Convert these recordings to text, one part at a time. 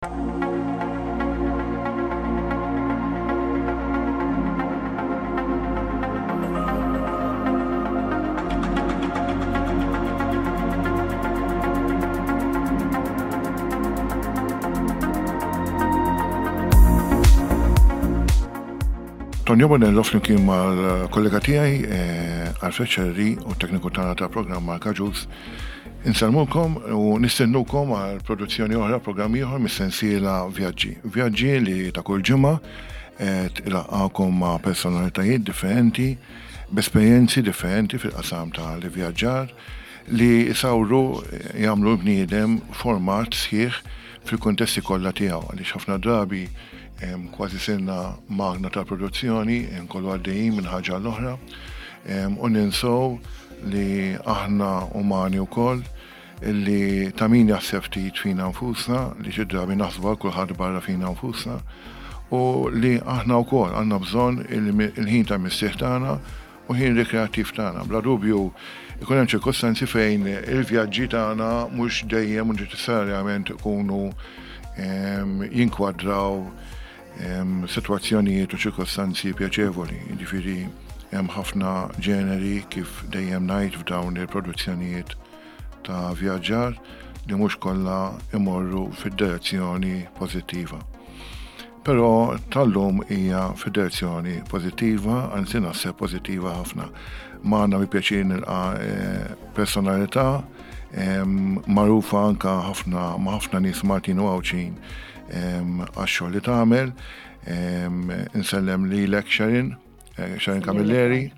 Tonio Bonello flimkien mal-kollega tiegħi eh, Alfred Ċerri u tekniku tagħna ta' programm Mark Aġus Insellmulkom u nistennukom għal produzzjoni oħra, programm ieħor mis-sensiela Vjaġġi. Vjaġġi li ta' kull ġimgħa qed ilaqqakom ma' personalitajiet differenti, b'esperjenzi differenti fil-qasam tal-ivvjaġġar li jsawru jagħmlu l-bniedem format sħiħ fil-kuntesti kollha tiegħu għaliex ħafna drabi kważi sirna magna tal-produzzjoni, nkollu għaddejjin minn ħaġa l-oħra u ninsow li aħna umani wkoll li ta' min jaħseb ftit fina nfusna, li xi drabi naħsbu għal kulħadd barra fina nfusna, u li aħna wkoll għandna bżonn il-ħin ta' mistrieħ tagħna u ħin rikreattiv tagħna. Bla dubju ikun hemm ċirkostanzi fejn il-vjaġġi tagħna mhux dejjem u neċessarjament ikunu ehm, jinkwadraw ehm, sitwazzjonijiet u ċirkostanzi pjaċevoli. Jiġifieri hemm ħafna ġeneri kif dejjem ngħid f'dawn il-produzzjonijiet ta' vjaġġar li mhux kollha imorru fid-direzzjoni pożittiva. Però tal-lum hija fid-direzzjoni pożittiva, anzi naħseb pożittiva ħafna. Magħna bi pjaċir nilqa' eh, personalità magħrufa anka ħafna ma' ħafna nies Maltin u Għawdxin għax-xogħol li tagħmel. Insellem lilek Sharon, eh, Sharon Camilleri.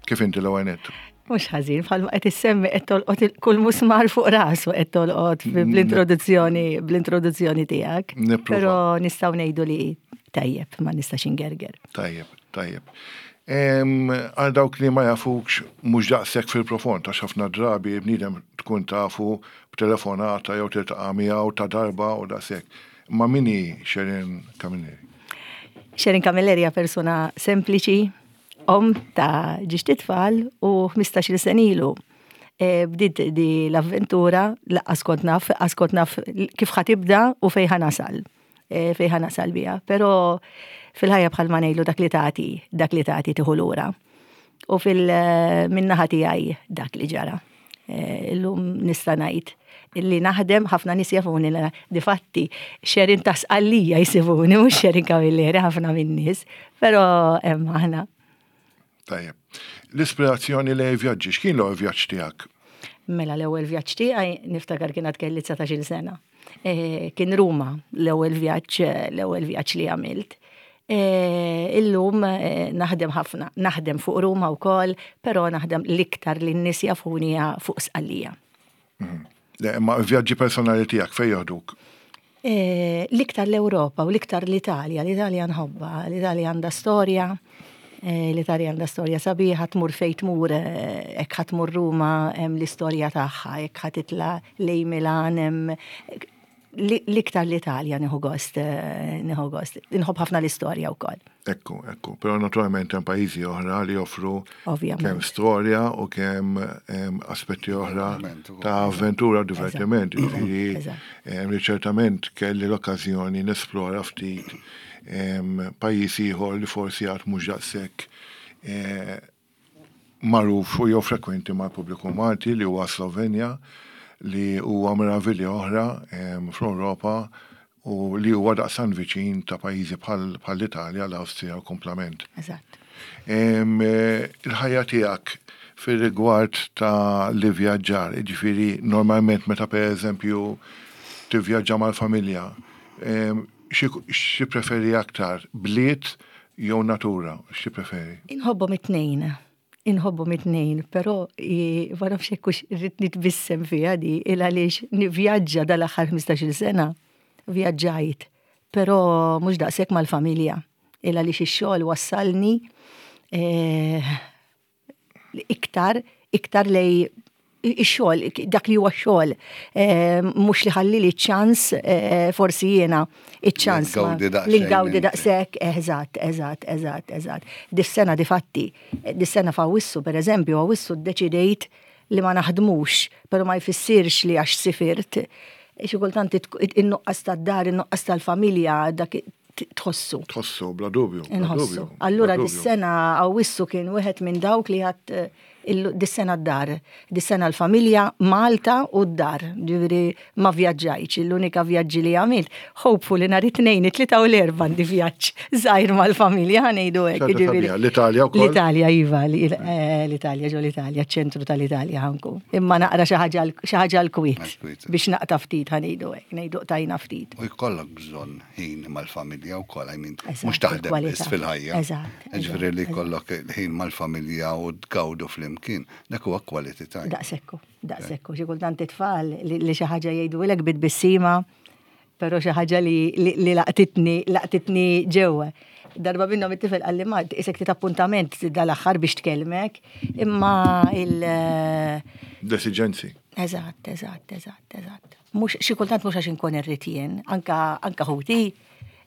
Kif inti l-ewwel nett? Mhux ħażin, bħalma qed issemmi qed tolqot kull musmar fuq rasu qed tolqot mm. bl-introduzzjoni bl-introduzzjoni tiegħek. Però nistgħu ngħidu li tajjeb, ma nistax ingerger. Tajjeb, tajjeb. Għal dawk li ma jafukx mhux daqshekk fil-profond għax ħafna drabi bniedem tkun tafu b'telefonata jew tiltaqa' miegħu ta' darba u daqshekk. Ma min hi Sharon Camilleri? Sharon Camilleri hija persuna sempliċi, Omm ta' ġiex titfal u 15-il sena ilu e, bdiet di l-avventura laqqas kont naf, laqqas kont naf kif ħa tibda u fejn ħa nasal. E, fejn ħa nasal biha. Però fil-ħajja bħal ma ngħidlu dak li tagħti, dak li tagħti tieħu lura. U fil-minnaħa tiegħi dak li ġara. Eh, illum nista' ngħid illi naħdem ħafna nies jafuni difatti xerin ta' sqallija jsibuni mhux xerin Camilleri ħafna min-nies, però hemm aħna. Tajjeb. L-ispirazzjoni li vjaġġi, x'kien l-ewwel vjaġġ tiegħek? Mela l-ewwel vjaġġ tiegħi niftakar kien għad kelli 19-il sena. Eh, kien Ruma l-ewwel vjaġġ l-ewwel vjaġġ li għamilt. Eh, illum eh, naħdem ħafna, naħdem fuq Ruma wkoll, però naħdem l-iktar li n-nies jafuni fuq Sqallija. Mhm. Le, imma vjaġġi personali tiegħek fejn joħduk? L-iktar l-Ewropa u l-iktar l-Italja, l-Italja nħobba, l-Italja għandha storja, l-Italja għandha storja sabiħa, tmur fejn tmur, hekk ħa tmur Ruma hemm l-istorja tagħha, hekk ħa titla' lejn Milan hemm l-iktar l-Italja nieħu gost, nieħu gost. Inħobb ħafna l-istorja wkoll. Ekku, ekku. Però naturalment hemm pajjiżi oħra li joffru kemm storja u kemm aspetti oħra ta' avventura u divertiment. Jiġifieri li ċertament kelli l-okkażjoni nesplora ftit pajjiż ieħor li forsi għad mhux daqshekk eh, magħruf u jew frekwenti mal-pubbliku Malti li huwa Slovenja li huwa meravilja oħra fl-Ewropa u li huwa daqstant viċin ta' pajjiżi bħall-Italja, l-Awstrija u kumplament. Eżatt. Il-ħajja tiegħek fir-rigward ta' l-ivvjaġġar, jiġifieri normalment meta pereżempju tivvjaġġa mal-familja, xi preferi aktar, bliet jew natura, xi preferi? Inħobbhom it-tnejn. Inħobbhom it-tnejn, però ma nafx jekk hux irrid nitbissem fiha di il għaliex nivvjaġġa dal-aħħar 15-il sena. Vjaġġajt, però mhux daqshekk mal-familja. Il għaliex ix-xogħol wassalni eh, iktar, iktar lej ix-xogħol, dak li huwa x-xogħol, eh, mhux li ħalli li ċans eh, forsi jiena iċ-ċans li ngawdi daqshekk, eżatt, eżatt, eżatt, eżatt. Dis-sena difatti, dis-sena f'Awwissu pereżempju, Awwissu ddeċidejt li ma naħdmux, però ma jfissirx li għax sifirt. Xi kultant in-nuqqas tad-dar, in-nuqqas tal-familja, dak tħossu. Tħossu, bla dubju. Inħossu. Allura dis-sena Awwissu kien wieħed minn dawk li għad dis-sena d-dar, dis-sena l-familja, Malta u d-dar. Ġifieri ma vjaġġajtx, l-unika vjaġġi li għamilt, hopefully nhar it-Tnejn, it-Tlieta u l-Erbgħa għandi vjaġġ żgħir mal-familja ħa ngħidu hekk. Ġifieri. L-Italja wkoll? L-Italja iva, l-Italja ġo l-Italja, ċ-ċentru tal-Italja ħa nkun. Imma naqra xi ħaġa l-kwiet biex naqta' ftit ħa ngħidu hekk, ngħidu qtajna ftit. U jkollok bżonn ħin mal-familja wkoll, I mean, mhux taħdem biss fil-ħajja. Eżatt. Ġifieri li jkollok ħin mal-familja u tgawdu flimkien, dak huwa quality time. Daqsekku, daqsekku, xi kultant it-tfal li xi ħaġa jgħidulek bit-tbissima, però xi ħaġa li laqtitni, laqtitni ġewwa. Darba minnhom it-tifel qalli ma isek tit appuntament dal-aħħar biex tkellmek, imma il- L-esiġenzi. Eżatt, eżatt, eżatt, eżatt. Mhux xi kultant mhux għax inkun irrid jien, anka anka ħuti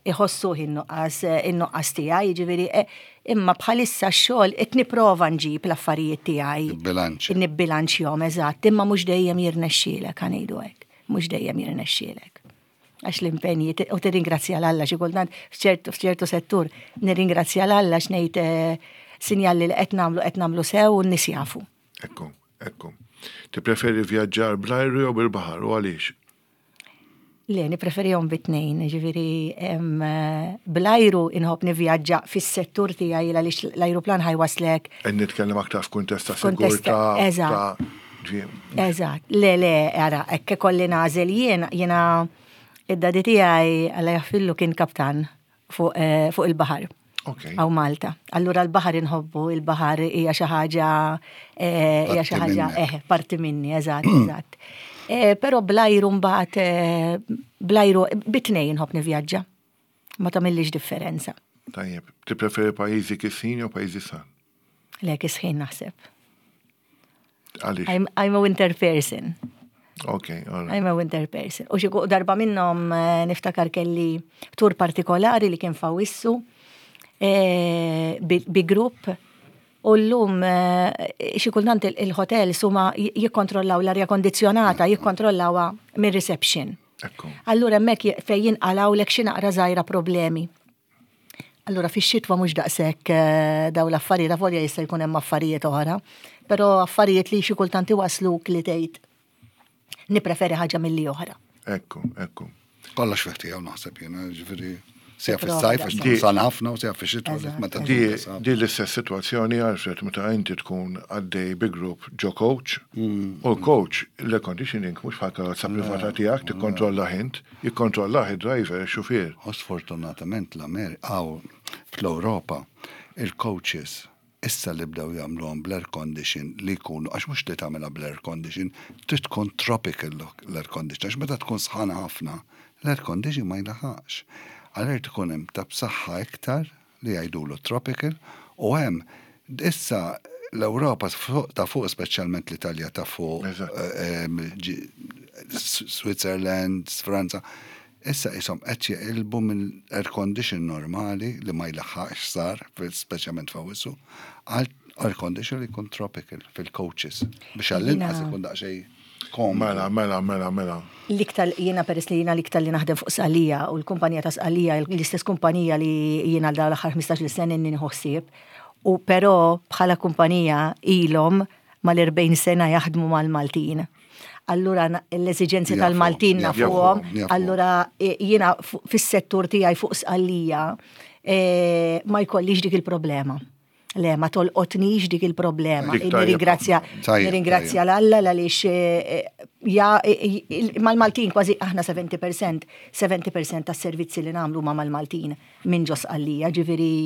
iħossuh in-nuqqas in-nuqqas tiegħi, jiġifieri eh, imma bħalissa x-xogħol qed nipprova nġib l-affarijiet tiegħi. Nibbilanċja. Nibbilanċjhom eżatt, imma mhux dejjem jirnexxielek ħa ngħidu hekk. Mhux dejjem jirnexxielek. Għax l-impenji u tirringrazzja 'l Alla xi kultant f'ċertu f'ċertu settur nirringrazzja 'l Alla għax ngħid eh, sinjal li qed nagħmlu qed nagħmlu sew u n-nies jafu. Ekku, ekku. Tippreferi vjaġġar bl-ajru jew bil-baħar u għaliex? Le, nippreferihom bit-tnejn, ġifieri bl-ajru inħobb nivvjaġġa fis-settur tiegħi għaliex l-ajruplan ħa jwasslek. Qed nitkellem aktar f'kuntest ta' sigurtà. Eżatt. Eżatt. Le, le, ara, hekk ikolli nagħżel jien, jiena id-daddy tiegħi Alla jaħfirlu kien kaptan fuq eh, fuq il-baħar. Okay. Għaw Malta. Allura l-baħar inħobbu, il-baħar hija xi ħaġa eh, hija xi ħaġa eh, parti minni, eżatt, eżatt. Eh, però blajru mbagħad eh, blajru bitnej inħobb nivvjaġġa. Ma tagħmillix differenza. Tajjeb, tippreferi pajjiżi kisħin jew pajjiżi sħan? Le kisħin naħseb. Għaliex? I'm, I'm a winter person. Ok, all right. I'm a winter person. U xi darba minnhom eh, niftakar kelli tur partikolari li kien fawissu eh, bi, bi grupp u llum eh, xi kultant il-hotel suma jikkontrollaw l-arja kondizjonata, jikkontrollawha mir-reception. Ekku. Allura hemmhekk fejn jinqalgħulek xi naqra żgħira problemi. Allura fix-xitwa mhux daqshekk eh, daw l-affarijiet, avolja jista' jkun hemm affarijiet oħra, però affarijiet li xi kultant iwasluk li tgħid nippreferi ħaġa milli oħra. Ekku, ekku. Kollox fih tiegħu naħseb jiena, ġifieri sija fis-sajf għax tkun san ħafna u sija fix-xitwa meta Di l-istess sitwazzjoni Alfred meta inti tkun għaddej bi grupp ġo coach mm. u l-coach l-air conditioning mhux bħal karozza privata tiegħek tikkontrolla int, Jikkontrollah id-driver, ix-xufier. U sfortunatament l-Amerika, hawn fl-Ewropa, il-coaches issa li bdew jagħmluhom bl-air condition li jkunu, għax mhux li tagħmilha bl-air condition, trid tkun tropical l-air condition, għax meta tkun sħana ħafna, l-air condition ma jlaħaqx. Allura jrid ikun hemm ta' b'saħħa iktar li jgħidulu tropical u hemm issa l-Ewropa ta' fuq speċjalment l-Italja ta' fuq Switzerland, Franza, issa qishom qed jeqilbu minn air condition normali li ma jlaħħaqx sar, speċjalment f'Awwissu, għal air condition li jkun tropical fil-coaches biex għall-inqas ikun daqsxejn Komdu. Mela, mela, mela, mela. L-iktar jiena peress li jiena l-iktar li naħdem fuq Sqallija u l-kumpanija ta' Sqallija l-istess kumpanija li jiena għal dawn l-aħħar 15-il sena inni nieħu ħsieb. U però bħala kumpanija ilhom mal-40 sena jaħdmu mal-Maltin. Allura l-eżiġenzi tal-Maltin nafuhom, allura e, jiena fis-settur tiegħi fuq Sqallija e, ma jkollix dik il-problema. Le, ma tolqotnix dik il-problema. Nirringrazzja nirringrazzja l-Alla għaliex eh, eh, ja eh, mal-Maltin kważi aħna 70% 70% tas-servizzi li nagħmlu ma mal-Maltin minn ġos għallija, ġifieri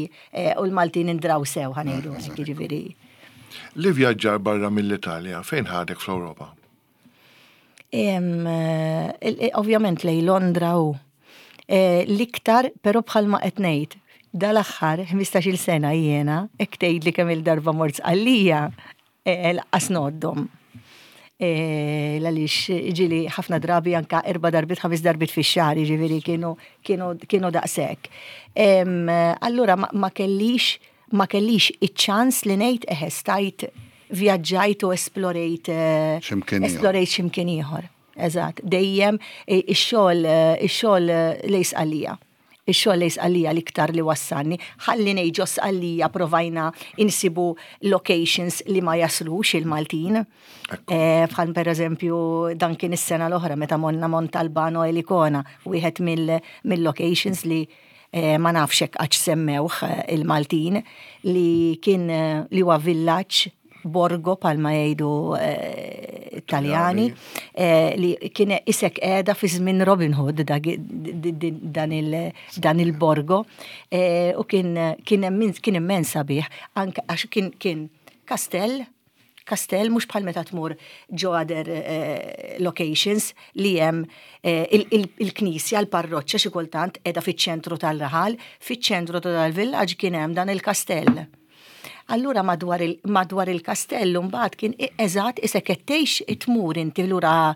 u l-Maltin indraw sew ħanejdu ġifieri. Li vjaġġar barra mill-Italja, fejn ħadek fl-Ewropa? Ovvjament lej Londra u eh, l-iktar, però bħalma qed ngħid, dal-aħħar 15-il sena jiena, hekk tgħidli kemm il-darba mort Sqallija, eh, laqqas ngħoddhom. Eh, għaliex ġili ħafna drabi anka erba' darbit, ħames darbit fix-xahar, jiġifieri kienu kienu kienu daqshekk. Allura ma kellix Ma kellix iċ-ċans li ngħid eħe stajt vjaġġajt u esplorejt X'imkien ieħor. esplorejt x'imkien ieħor. Eżatt, dejjem ix-xogħol ix-xogħol lejn Sqallija. Ix-xogħol lejn Sqallija l-iktar li wassalni. Ħalli ngħid ġo Sqallija provajna insibu locations li ma jaslux il-Maltin. Bħal pereżempju dan kien is-sena l-oħra meta morna Montalbano Elicona, wieħed mill-locations li ma nafx hekk għax semmewh il-Maltin li kien li huwa villaġġ borgo palma jgħidu Taljani li kien isek qiegħda fi żmien Robin Hood dan il-borgo u kien kien immens sabiħ anke għax kien kastell kastell mhux bħal meta tmur ġo other locations li hemm il-knisja, l-parroċċa xi kultant qiegħda fiċ-ċentru tal-raħal, fiċ-ċentru ta' dal-villaġġ kien hemm dan il-kastell. Allura madwar il, madwar il-kastell mbagħad kien eżatt isek qed tgħix tmur inti lura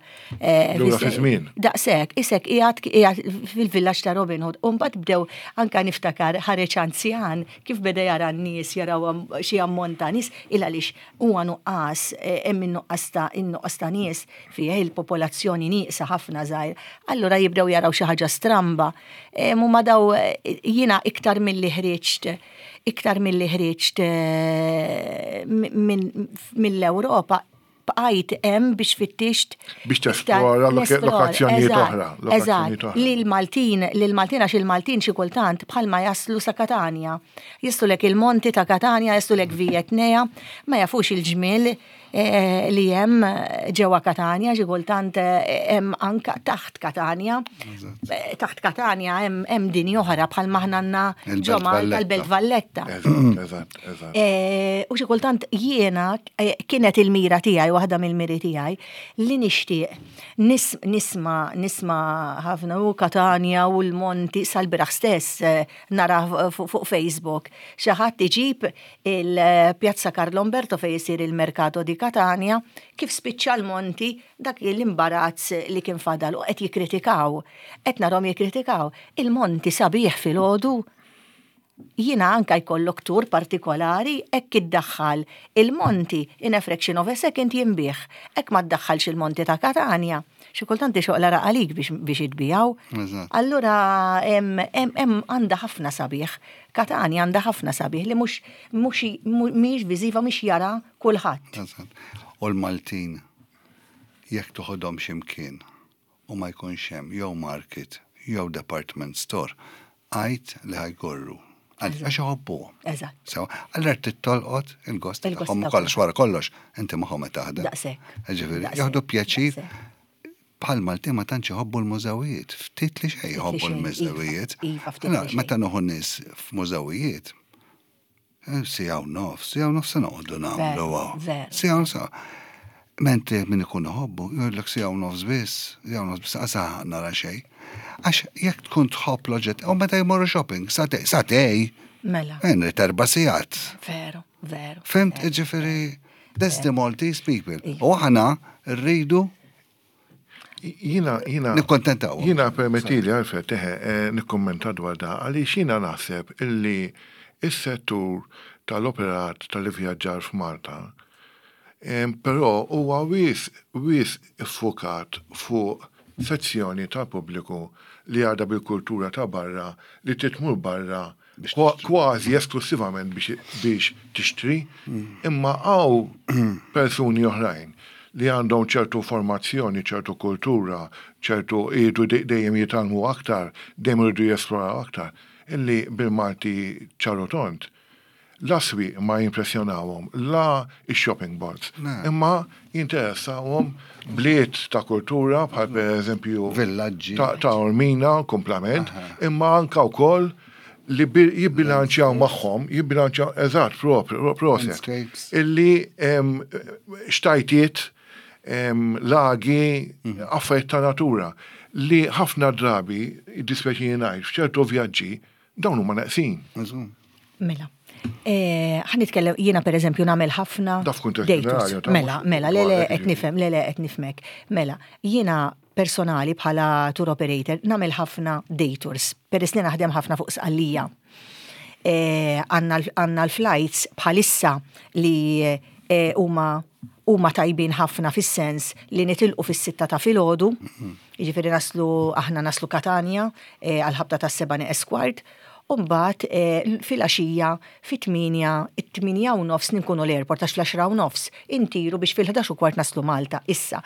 Lura fi żmien. Daqshekk, isek qiegħed qiegħed fil-villaġġ ta' Robin Hood. U mbagħad bdew anka niftakar ħareġ anzjan kif beda jara n-nies jaraw xi ammont ta' nies il għaliex huwa nuqqas hemm in-nuqqas ta' in-nuqqas ta' nies fih il-popolazzjoni nieqsa ħafna żgħir. Allura jibdew jaraw xi ħaġa stramba. Huma daw jiena iktar milli ħriġt iktar milli ħriġt mill-Ewropa bqajt hemm biex fittixt. Biex tesplora lokazzjonijiet oħra. Eżatt, li l-Maltin, li l-Maltin għax il-Maltin xi kultant bħalma jaslu sa Katanja. Jaslulek il-monti ta' Katanja, jaslulek Via Etnea, ma jafux il-ġmiel li hemm ġewwa Katanja, xi kultant hemm anka taħt Katanja. Taħt Katanja hemm dinja oħra bħal maħna għandna ġo Malta l-Belt Valletta. U xi kultant jiena kienet il-mira tiegħi, waħda mill-miri tiegħi, li nixtieq nisma' nisma' ħafna u Katanja u l-monti sal-bieraħ stess nara fuq Facebook. Xi ħadd iġib il-Pjazza Carlo Umberto fejn isir il-Mercato di Catania, kif spiċċa l-Monti dak l-imbarazz li kien fadal u qed jikkritikaw. Qed narhom jikkritikaw. Il-Monti sabiħ filgħodu. Jiena anka jkollok tur partikolari hekk iddaħħal il-Monti in a fraction of a second jinbiegħ. Hekk ma ddaħħalx il-Monti ta' Catania. Xi kultant ixoq l-għaraq għalik biex itbiegħu. Allura hemm għandha ħafna sabiħ. Katanja għandha ħafna sabiħ li mhux mhux mhijiex viżiva mhix jara kulħadd. U l-Maltin jekk toħodhom xi mkien u ma jkunx hemm jew market jew department store, għid li ħa jgorru. Għax iħobbuhom. Eżatt. Sewa, allura trid tolqot il-gost tagħhom kollox wara kollox, inti magħhom qed taħdem. Daqshekk. Ġifieri, jieħdu pjaċir. Bħal Maltin ma tantx iħobbu l-mużewijiet, ftit li xejn jħobbu l-mużewijiet. Iva, ftit li xejn. Meta nieħu nies f'mużewijiet, eh, siegħa u nofs, siegħa u nofs se noqogħdu nagħmlu hawn. Siegħa u nofs. Mentri min ikun iħobbu, jgħidlek siegħa u nofs biss, siegħa u nofs biss, qas nara xejn. Għax jekk tkun tħobb l-oġġett, u meta jmorru shopping, satej, satej. Mela. Nrid erba' sigħat. Veru, veru. Fimt, ġifieri, that's the Maltese people. U aħna rridu Jina, jina. Nikkontentaw. Jina permettili Alfred, teħe, eh, nikkommenta dwar da, għaliex jina naħseb illi is-settur tal-operat tal-ivvjaġġar f'Malta, però huwa wis wis iffukat fuq sezzjoni tal-pubbliku li għadha bil-kultura ta' barra li trid tmur barra kważi esklussivament biex tixtri, imma hawn persuni oħrajn li għandhom ċertu formazzjoni, ċertu kultura, ċertu iridu dejjem jitgħallmu aktar, dejjem iridu jesploraw aktar, illi bil-Malti ċar u tond, la s-swieq ma jimpressjonawhom, la x-shopping malls, imma jinteressawhom bliet ta' kultura bħal pereżempju Villaġġi. ta' Ormina, kumplament, imma anka wkoll li jibbilanċjaw magħhom, jibbilanċjaw eżatt propju, proset, illi xtajtiet, lagi, affarijiet ta' natura li ħafna drabi, jiddispjaċini ngħid, f'ċertu vjaġġi Dawn huma neqsin. Mela. Eh, ħa nitkellem, jiena per eżempju nagħmel ħafna. Daf kuntest ġenerali. Mela, mela, le le qed nifhem, le le qed nifhmek. Mela, jiena personali bħala tour operator nagħmel ħafna day tours, peress li naħdem ħafna fuq sqallija. Eh, għandna l-flights bħalissa li eh, huma Huma tajbin ħafna fis-sens li nitilqu fis-sitta ta' filgħodu, jiġifieri naslu aħna naslu Katanja eh, għall-ħabta tas-seba' neqes kwart, u mbagħad eh, filgħaxija fit-tmienja, it-tmienja u nofs ninkunu l-airport għax fl-għaxra u nofs intiru biex fil-11 u kwart naslu Malta. Issa,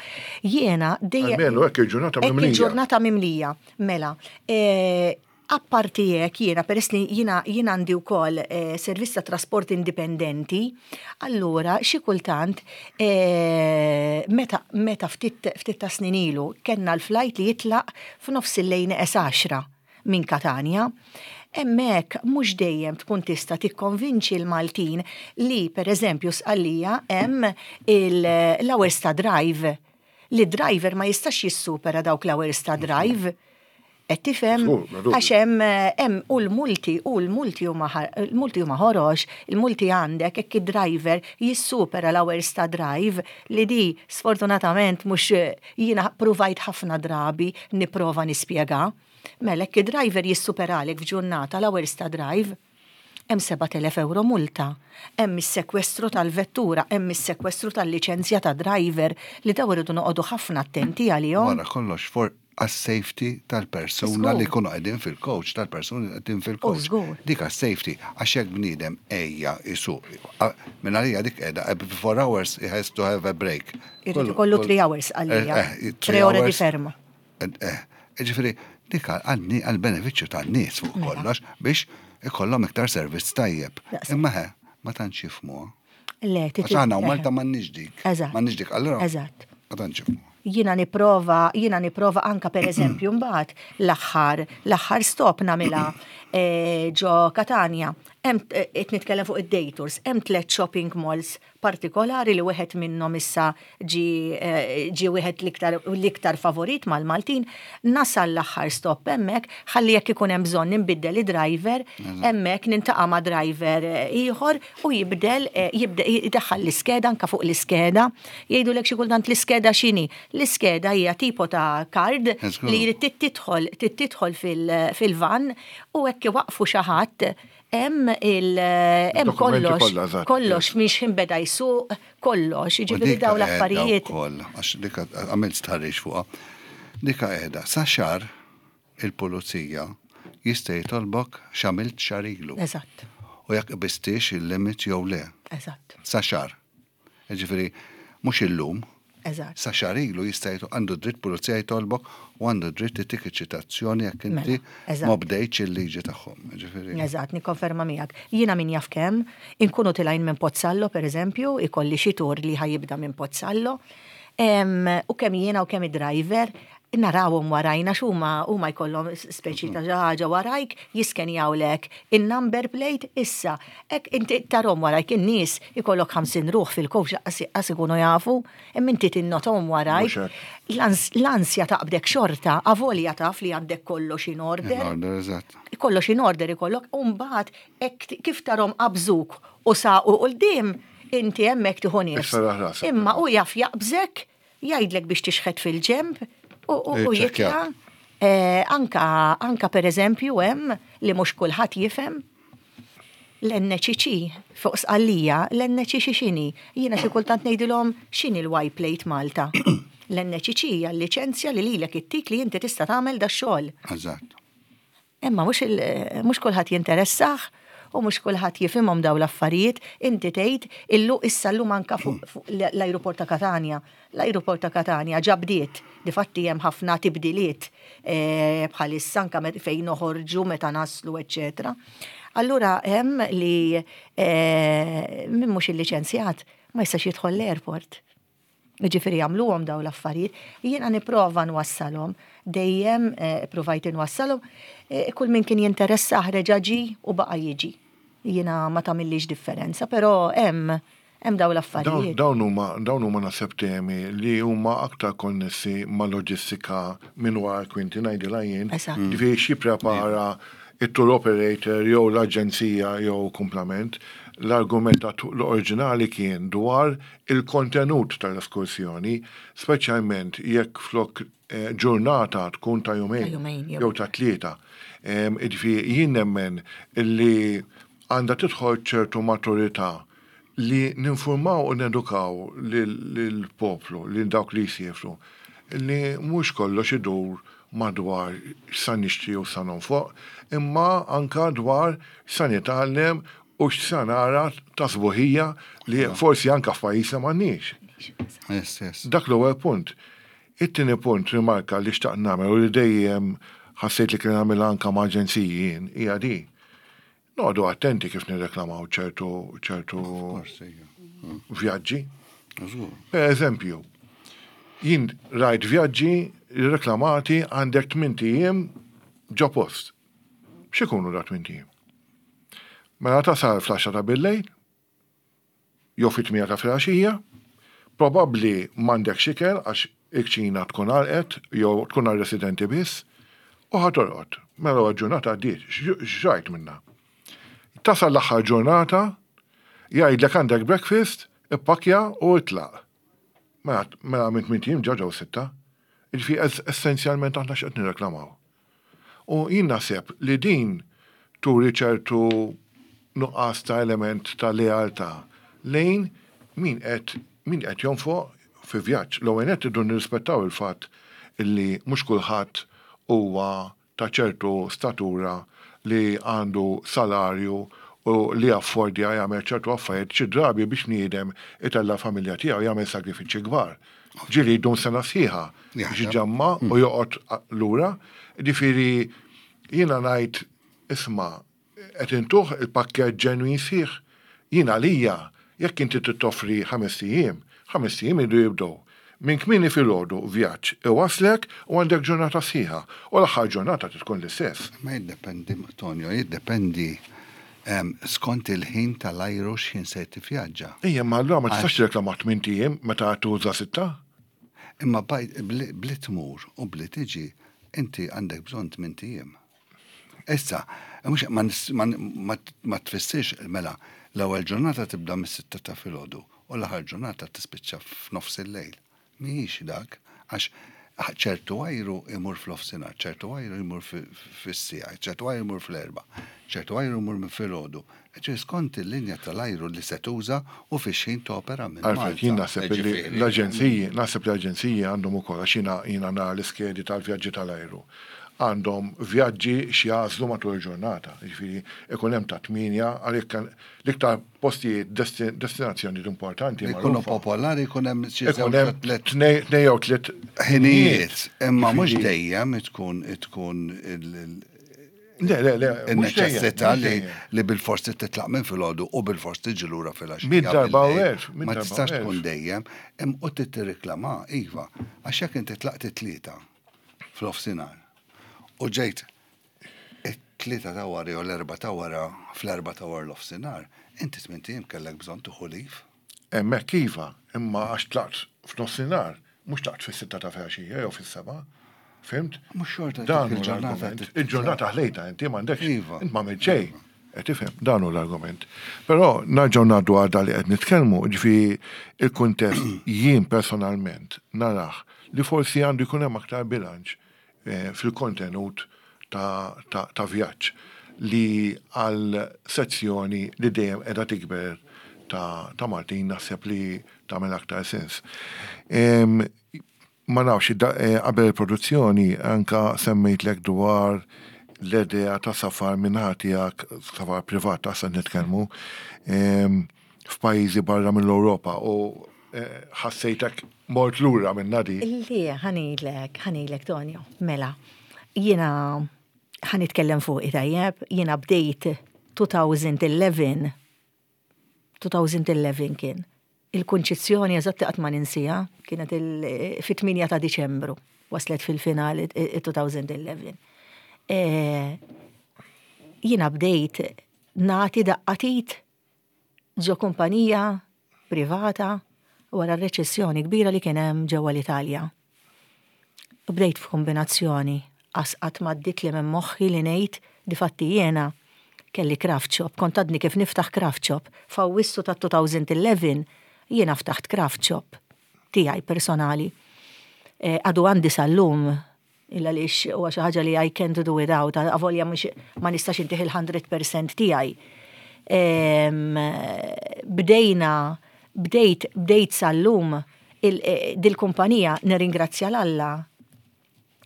jiena dejjem. Almenu hekk il-ġurnata Hekk mimlija. il-ġurnata mimlija. Mela, eh, Apparti hekk jiena peress li jiena jien għandi wkoll eh, servizz ta' trasport indipendenti, allura xi kultant eh, meta meta ftit ftit ta' snin ilu kellna l-flight li jitlaq f'nofs il-lejl neqes għaxra minn Katanja, hemmhekk mhux dejjem tkun tista' tikkonvinċi l-Maltin li pereżempju Sqallija hemm l-hours ta' drive li driver ma jistax jissupera dawk l-hours ta' drive. Qed tifhem? Għax hemm hemm u l-multi u l-multi huma l-multi huma ħorox, il-multi għandek hekk id-driver jissupera l-hours ta' drive li di sfortunatament mhux jiena pruvajt ħafna drabi nipprova nispjega. Mela hekk id-driver jissuperalek f'ġurnata l-hours ta' drive, hemm 7,000 ewro multa, hemm is-sekwestru tal-vettura, hemm is-sekwestru tal-liċenzja ta' driver li dawn irridu noqogħdu ħafna attenti għalihom. Wara kollox for għas-safety tal-persuna li jkunu qegħdin fil-coach, tal-persuni li qegħdin fil-coach. Dik għas-safety, għax jekk bniedem għejja jsuq, minn għalija dik qiegħda, every 4 hours he has to have a break. Irid ikollu 3 hours għalija. 3 ore di fermo. Ġifieri, dik għall-benefiċċju tan-nies fuq kollox biex ikollhom iktar servizz tajjeb. Imma ħe, ma tantx jifhmuha. Le, Għax aħna u Malta m'għandniex dik. Eżatt. M'għandniex dik, allura. Eżatt. Ma tantx jifhmuha. Jiena nipprova, jiena nipprova anka per eżempju mbagħad l-aħħar, l-aħħar stop nagħmilha eh, ġo Katanja. Hemm eh, qed nitkellem fuq id-day tours, hemm tliet shopping malls partikolari li wieħed minnhom issa ġie ġie wieħed l-iktar l-iktar favorit mal-Maltin, nasal l-aħħar stop hemmhekk ħalli jekk ikun hemm bżonn inbiddel id-driver, hemmhekk nintaqa' ma' driver ieħor u jibdel jibdel idaħħal l-iskeda anke fuq l-iskeda. Jgħidulek xi kultant l-iskeda x'inhi? L-iskeda hija tipo ta' card li trid tidħol trid tidħol fil-van u hekk iwaqqfu xi ħadd Hemm il hemm kollox, kollox minn x'ħin beda jsuq, kollox, jiġifieri dawn l-affarijiet. Ukoll, għax dik għamilt stħarriġ fuqha. Dik qiegħda sa xahar il-pulizija jista' jitolbok x'għamilt xahar ilu. Eżatt. U jekk qbistiex il-limit jew le. Eżatt. Sa xahar. Jiġifieri mhux illum. Eżatt. Sa xahar ilu jista' għandu dritt pulizija jitolbok u għandu dritt itik iċ-ċitazzjoni jekk inti mela, ma bdejtx il-liġi tagħhom. Jiġifieri. Eżatt, nikkonferma miegħek. Jiena min jaf kemm, inkunu tilgħin minn Pozzallo pereżempju, ikolli xi tur li ħa jibda minn Pozzallo, u kemm jiena u kemm id-driver narawhom warajna x'huma huma jkollhom speċi ta' xi ħaġa warajk jiskenjawlek in-number plate issa hekk inti tarhom warajk in-nies ikollok 50 ruħ fil-coach lanqas ikunu jafu imma inti tinnothom warajk l-ansja taqbdek xorta avolja taf li għandek kollox in order. In order, eżatt. Kollox in order ikollok u mbagħad hekk kif tarhom qabżuk u saqu quddiem inti hemmhekk tieħu nifs. Imma hu jaf jaqbżek Jgħidlek biex tixħet fil-ġenb u jitla'. Anka, anka per eżempju hemm li mhux kulħadd jifhem l-NCC fuq Sqallija, l-NCC x'inhi? Jiena xi kultant ngħidilhom x'inhi l-Y plate Malta? L-NCC hija l-liċenzja li lilek ittik li inti tista' tagħmel dax-xogħol. Eżatt. Imma mhux mhux kulħadd jinteressah u mhux kulħadd jifhimhom dawn l-affarijiet. Inti tgħid illu issa llum anka fuq l-ajruport ta' Katanja. L-ajruport ta' Katanja ġa bdiet, difatti hemm ħafna tibdiliet bħalissa anka fejn noħorġu, meta naslu, eċċetera. Allura hemm li min mhux illiċenzjat ma jistax jidħol l-airport. Jiġifieri jagħmluhom dawn l-affarijiet. Jiena nipprova nwassalhom, dejjem ippruvajt inwassalhom. Kull min kien jinteressah reġa' ġie u baqa' jiġi. Jiena ma tagħmillix differenza, però hemm hemm dawn l-affarijiet. Dawn huma dawn huma naħseb temi li huma aktar konnessi ma' loġistika minn wara l-kwinti ngħidilha jien. Jiġifieri x'jipprepara it-tour operator jew l-aġenzija jew kumplament. L-argument l-oriġinali kien dwar il-kontenut tal-eskursjoni, speċjalment jekk flok ġurnata tkun ta' jumejn jew ta' tlieta. Jiġifieri jien nemmen li għandha tidħol ċertu maturità. Li ninfurmaw u nedukaw lill-poplu, lil dawk li jsiefru, li mhux kollox idur madwar x'sa nixtri u x'sa nonfoq, imma anka dwar x'sa nitgħallem u x'sa nara ta' sbuħija li forsi anka f'pajjiżna m'għandniex. Dak l-ewwel punt. It-tieni punt, rimarka li xtaqt nagħmel u li dejjem ħassejt li kien nagħmilha anka ma' aġenziji jien, hija di. Noqogħdu attenti kif nirreklamaw ċertu ċertu vjaġġi. Per eżempju, jien rajt vjaġġi reklamati għandek 8 ijiem ġo post. X'ikunu da 8 ijiem? Mela tasal fl-10 ta' billejl, jew fit-tmienja ta' filgħaxija, probabbli m'għandekx ikel għax il-kċina tkun għalqet jew tkun għar-residenti biss, u ħa torqod. Mela l-ewwel ġurnata għaddiet, x'rajt minnha? Tasal l-aħħar ġurnata, jgħidlek għandek breakfast, ippakkja u itlaq. Mela, mela minn tmint ijiem ġa ġew sitta. Jiġifieri essenzjalment aħna x'qed nirreklamaw? U jien naħseb li din turi ċertu nuqqas ta' element ta' lealtà lejn min qed min qed jonfoq fi vjaġġ. L-ewwel nett irridu nirrispettaw il-fatt li mhux kulħadd huwa ta' ċertu statura li għandu salarju u li jaffordja jagħmel ċertu affarijiet xi drabi biex bniedem itella' l-familja tiegħu jagħmel sagrifiċċji kbar. Ġieli jdum sena sħiħa biex iġamma u joqgħod lura. Ġifieri jiena ngħid isma' qed intuh il-pakkett ġenwin sħiħ. Jien għalija jekk inti trid toffri ħamest ijiem, ħamest ijiem iridu jibdew minn kmieni filgħodu vjaġġ iwasslek u għandek ġurnata sħiħa u l-aħħar ġurnata trid tkun l-istess. Ma jiddependi, Tonio, jiddependi skont il-ħin tal-ajru x'ħin se tivvjaġġa. Ejja, imma allura ma tistax tirreklama tmint ijiem meta tuża sitta. Imma bli tmur u bli tiġi inti għandek bżonn tmint ijiem. Issa, mhux ma tfissirx mela l-ewwel ġurnata tibda mis-sitta ta' filgħodu u l-aħħar ġurnata tispiċċa f'nofs il-lejl. Mhijiex dak, għax ċertu ajru jmur fl-ofsinhar, ċertu ajru jmur fis-siegħa, ċertu ajru jmur fl-erbgħa, ċertu ajru jmur minn filgħodu. Ġifieri skont il-linja tal-ajru li se tuża u fix-xħin topera minn Malta. Alfred, jien naħseb li l-aġenziji, naħseb li l-aġenziji għandhom ukoll, għax jiena jiena nara l-iskedi tal-vjaġġi tal-ajru, għandhom vjaġġi x'jagħżlu matul il-ġurnata. Jiġifieri ikun hemm ta' tmienja għalhekk l-iktar postijiet destinazzjonijiet importanti. Ikunu popolari jkun hemm xi żewġ tliet. Tnej jew tliet ħinijiet. Imma mhux dejjem tkun tkun Le, le, le. Il-neċessità li bil-forsi titlaq minn filgħodu u bil-forsi tiġi lura filgħaxija. Mid darba u elf. Ma tistax tkun dejjem, im u tirriklama, iva, għax jekk inti tlaqt it-tlieta fl-ofsinhar u ġejt it-tlieta ta' wara jew l-erbgħa ta' wara fl-erbgħa ta' wara nofsinhar, inti tmint ijiem kellek bżonn tieħu leave. Hemmhekk iva, imma għax tlaqt f'nofsinhar, mhux tlaqt fis-sitta ta' filgħaxija jew fis-sebgħa. Fhimt? Mhux xorta Dan hu l-argument. Il-ġurnata ħlejtha inti m'għandekx. Iva. Int m'għamilt xejn. Qed tifhem? Dan hu l-argument. Però nerġgħu ngħaddu għal dan li qed nitkellmu, jiġifieri il-kuntest jien personalment narah li forsi għandu jkun hemm aktar bilanċ fil-kontenut ta' vjaġġ li għal sezzjoni li dejjem qiegħda tikber ta' Maltin naħseb li tagħmel aktar sens. Ma nafx, qabel il-produzzjoni anka semmejtlek dwar l-idea ta' safar min-naħa tiegħek, safar privat ta' se nitkellmu, f'pajjiżi barra mill-Ewropa u ħassejtek mort lura minnha di. Le, ħa ngħidlek, ħa ngħidlek Tonio, mela, jiena ħa nitkellem fuqi tajjeb, jiena bdejt 2011, 2011 kien, il-kunċizzjoni eżatt qatt ma ninsiha, kienet fit-8 ta' Diċembru, waslet fil-finali 2011. Jiena bdejt nagħti daqqa t'id ġo kumpanija privata wara r-reċessjoni kbira li kien hemm ġewwa l-Italja. U bdejt f'kombinazzjoni qas qatt m'għaddietli minn moħħi li ngħid difatti jiena kelli craft shop, kont għadni kif niftaħ craft shop. F'Awwissu tat-2011 jiena ftaħt craft shop tiegħi personali. Għadu għandi sal-lum Illa għaliex huwa xi ħaġa li I can't do without, avolja mhux ma nistax intih il-100% tiegħi. Bdejna, bdejt, bdejt sal-lum dil-kumpanija nirringrazzja 'l Alla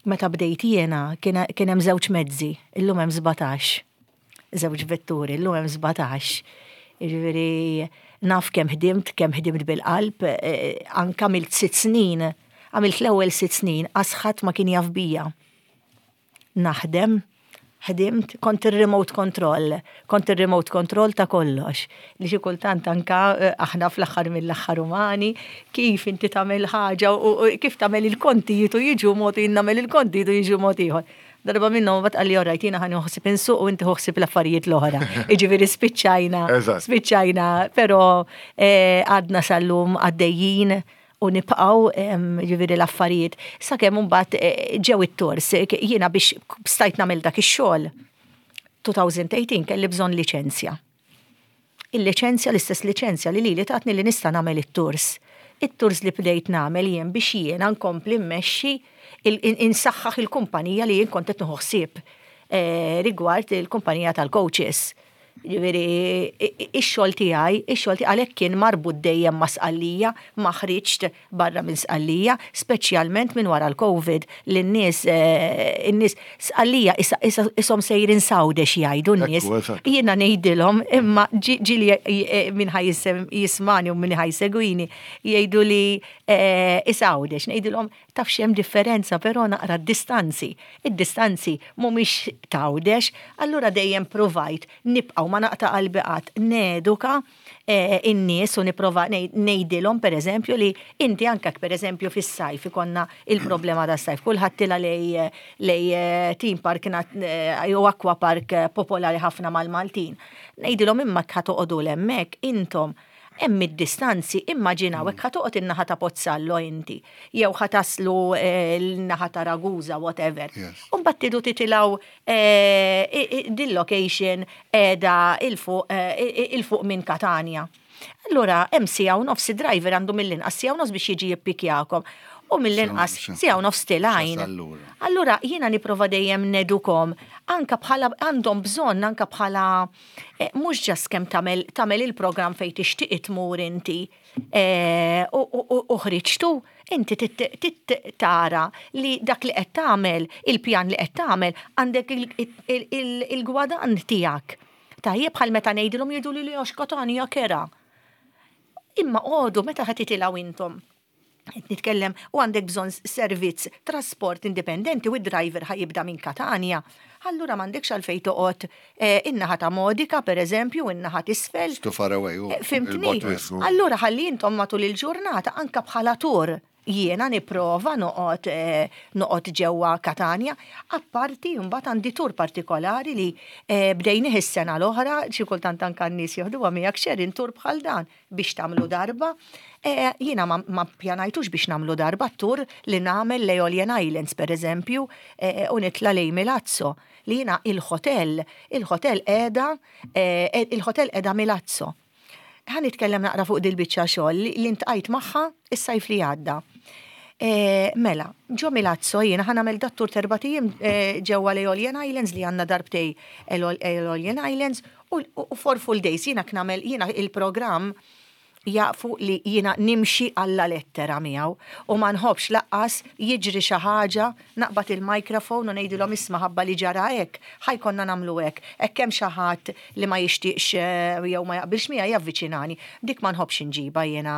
meta bdejt jiena kien hemm żewġ mezzi, illum hemm 17. Żewġ vetturi, illum hemm 17. Jiġifieri naf kemm ħdimt, kemm ħdimt bil-qalb, anke għamilt sitt snin, għamilt l-ewwel sitt snin qas ħadd ma kien jaf bija. Naħdem, ħdimt, kont ir-remote control, kont ir-remote control ta' kollox. Li xi kultant anka eh, aħna fl-aħħar mill-aħħar umani, kif inti tagħmel ħaġa u kif tagħmel il-kontijiet u jiġu mod jien nagħmel il-kontijiet u jiġu mod ieħor. Darba minnhom mbagħad qalli orajt jiena ħa ħsib insuq u inti ħsib l-affarijiet l-oħra. Jiġifieri spiċċajna, spiċċajna, però eh, għadna sal-lum għaddejjin u nibqgħu jiġifieri l-affarijiet sakemm imbagħad eh, ġew it-tours. Jiena biex stajt nagħmel dak ix-xogħol 2018 kelli bżonn liċenzja. Il-liċenzja, l-istess liċenzja li lili tatni li nista' nagħmel it-tours. It-tours li bdejt nagħmel jien biex jiena nkompli mmexxi insaħħaħ il-kumpanija li jien kont qed nieħu ħsieb eh, rigward il-kumpanija tal-coaches. Ġifieri, ix-xogħol tiegħi, ix-xogħol tiegħi għalhekk kien marbut dejjem ma' Sqallija, ma ħriġt barra minn Sqallija, speċjalment minn wara l-Covid li n-nies in-nies Sqallija ishom sejrin s'Għawdex jgħidu n-nies. Jiena ngħidilhom imma ġieli min ħa jismani u min ħa jsegwini jgħidu li is Għawdex. Ngħidilhom Taf x'hemm differenza però naqra d-distanzi. Id-distanzi mhumiex t'Għawdex, allura dejjem pruvajt nibqa' u ma naqta' qalbi qatt neduka n-nies u nipprova ngħidilhom pereżempju li inti anke jekk pereżempju fis-sajf ikollna il-problema tas-sajf, kulħadd tilgħa lejn lejn theme park jew aqua park popolari ħafna mal-Maltin. Ngħidilhom imma jekk ħa toqogħdu 'l hemmhekk intom Hemm id-distanzi, immaġinaw hekk ħa toqgħod in-naħa ta' Pozzallo inti, jew ħa taslu l-naħa ta' Ragusa, whatever. U mbagħad tridu titilgħu dil-location qiegħda 'il fuq 'il fuq minn Katanja. Allura hemm siegħa u nofs id-driver għandu mill-inqas siegħa u nofs biex jiġi jippikjakom. U mill-inqas siegħa u nofs tilgħin. Allura jiena nipprova dejjem nedukom anke bħala għandhom bżonn anke bħala Eh, mhux ġast kemm tagħmel tagħmel il-programm fejn tixtieq tmur inti eh, u ħriġtu, inti tara li dak li qed tagħmel, il-pjan li qed tagħmel, għandek il-gwadann tiegħek. Tajjeb bħal meta ngħidilhom jgħidu li għax Katanja kera. Imma għodu meta ħa titilgħu intom qed nitkellem u għandek bżonn servizz trasport indipendenti u d-driver ħa jibda minn Katanja, allura m'għandekx għalfejn toqgħod eh, in-naħa ta' Modica pereżempju, in-naħa t'isfel. Too far away. Eh, fimtni? Allura ħalli intom matul il-ġurnata anka bħala tur jiena nipprova noqgħod eh, noqgħod ġewwa Katanja, apparti mbagħad għandi tur partikolari li bdejnih is-sena l-oħra, xi kultant anke n-nies joħduha miegħek xerin tur bħal dan. biex tagħmlu darba. E, jiena ma, ma pjanajtux biex nagħmlu darba tur li nagħmel l-Aeolian Islands per eżempju e, u nitla lej Milazzo li jiena il-hotel, il-hotel qiegħda e, il-hotel qiegħda Milazzo. Ħa nitkellem naqra fuq dil-biċċa xogħol li ntqajt magħha is-sajf li għadda. E, mela, ġo Milazzo jiena ħa nagħmel dat-tur t'erbat ijiem e, ġewwa l-Aeolian Islands li għandna darbtej Aeolian Islands U for full days jiena nagħmel jiena il-programm jafu li jiena nimxi alla lettera miegħu u ma nħobbx laqqas jiġri xi ħaġa naqbad il-microphone u ngħidilhom isma' ħabba li ġara hekk, ħa jkollna nagħmlu hekk. Hekk hemm xi ħadd li ma jixtieqx jew ma jaqbilx miegħi javviċinani. Dik ma nħobbx inġibha jiena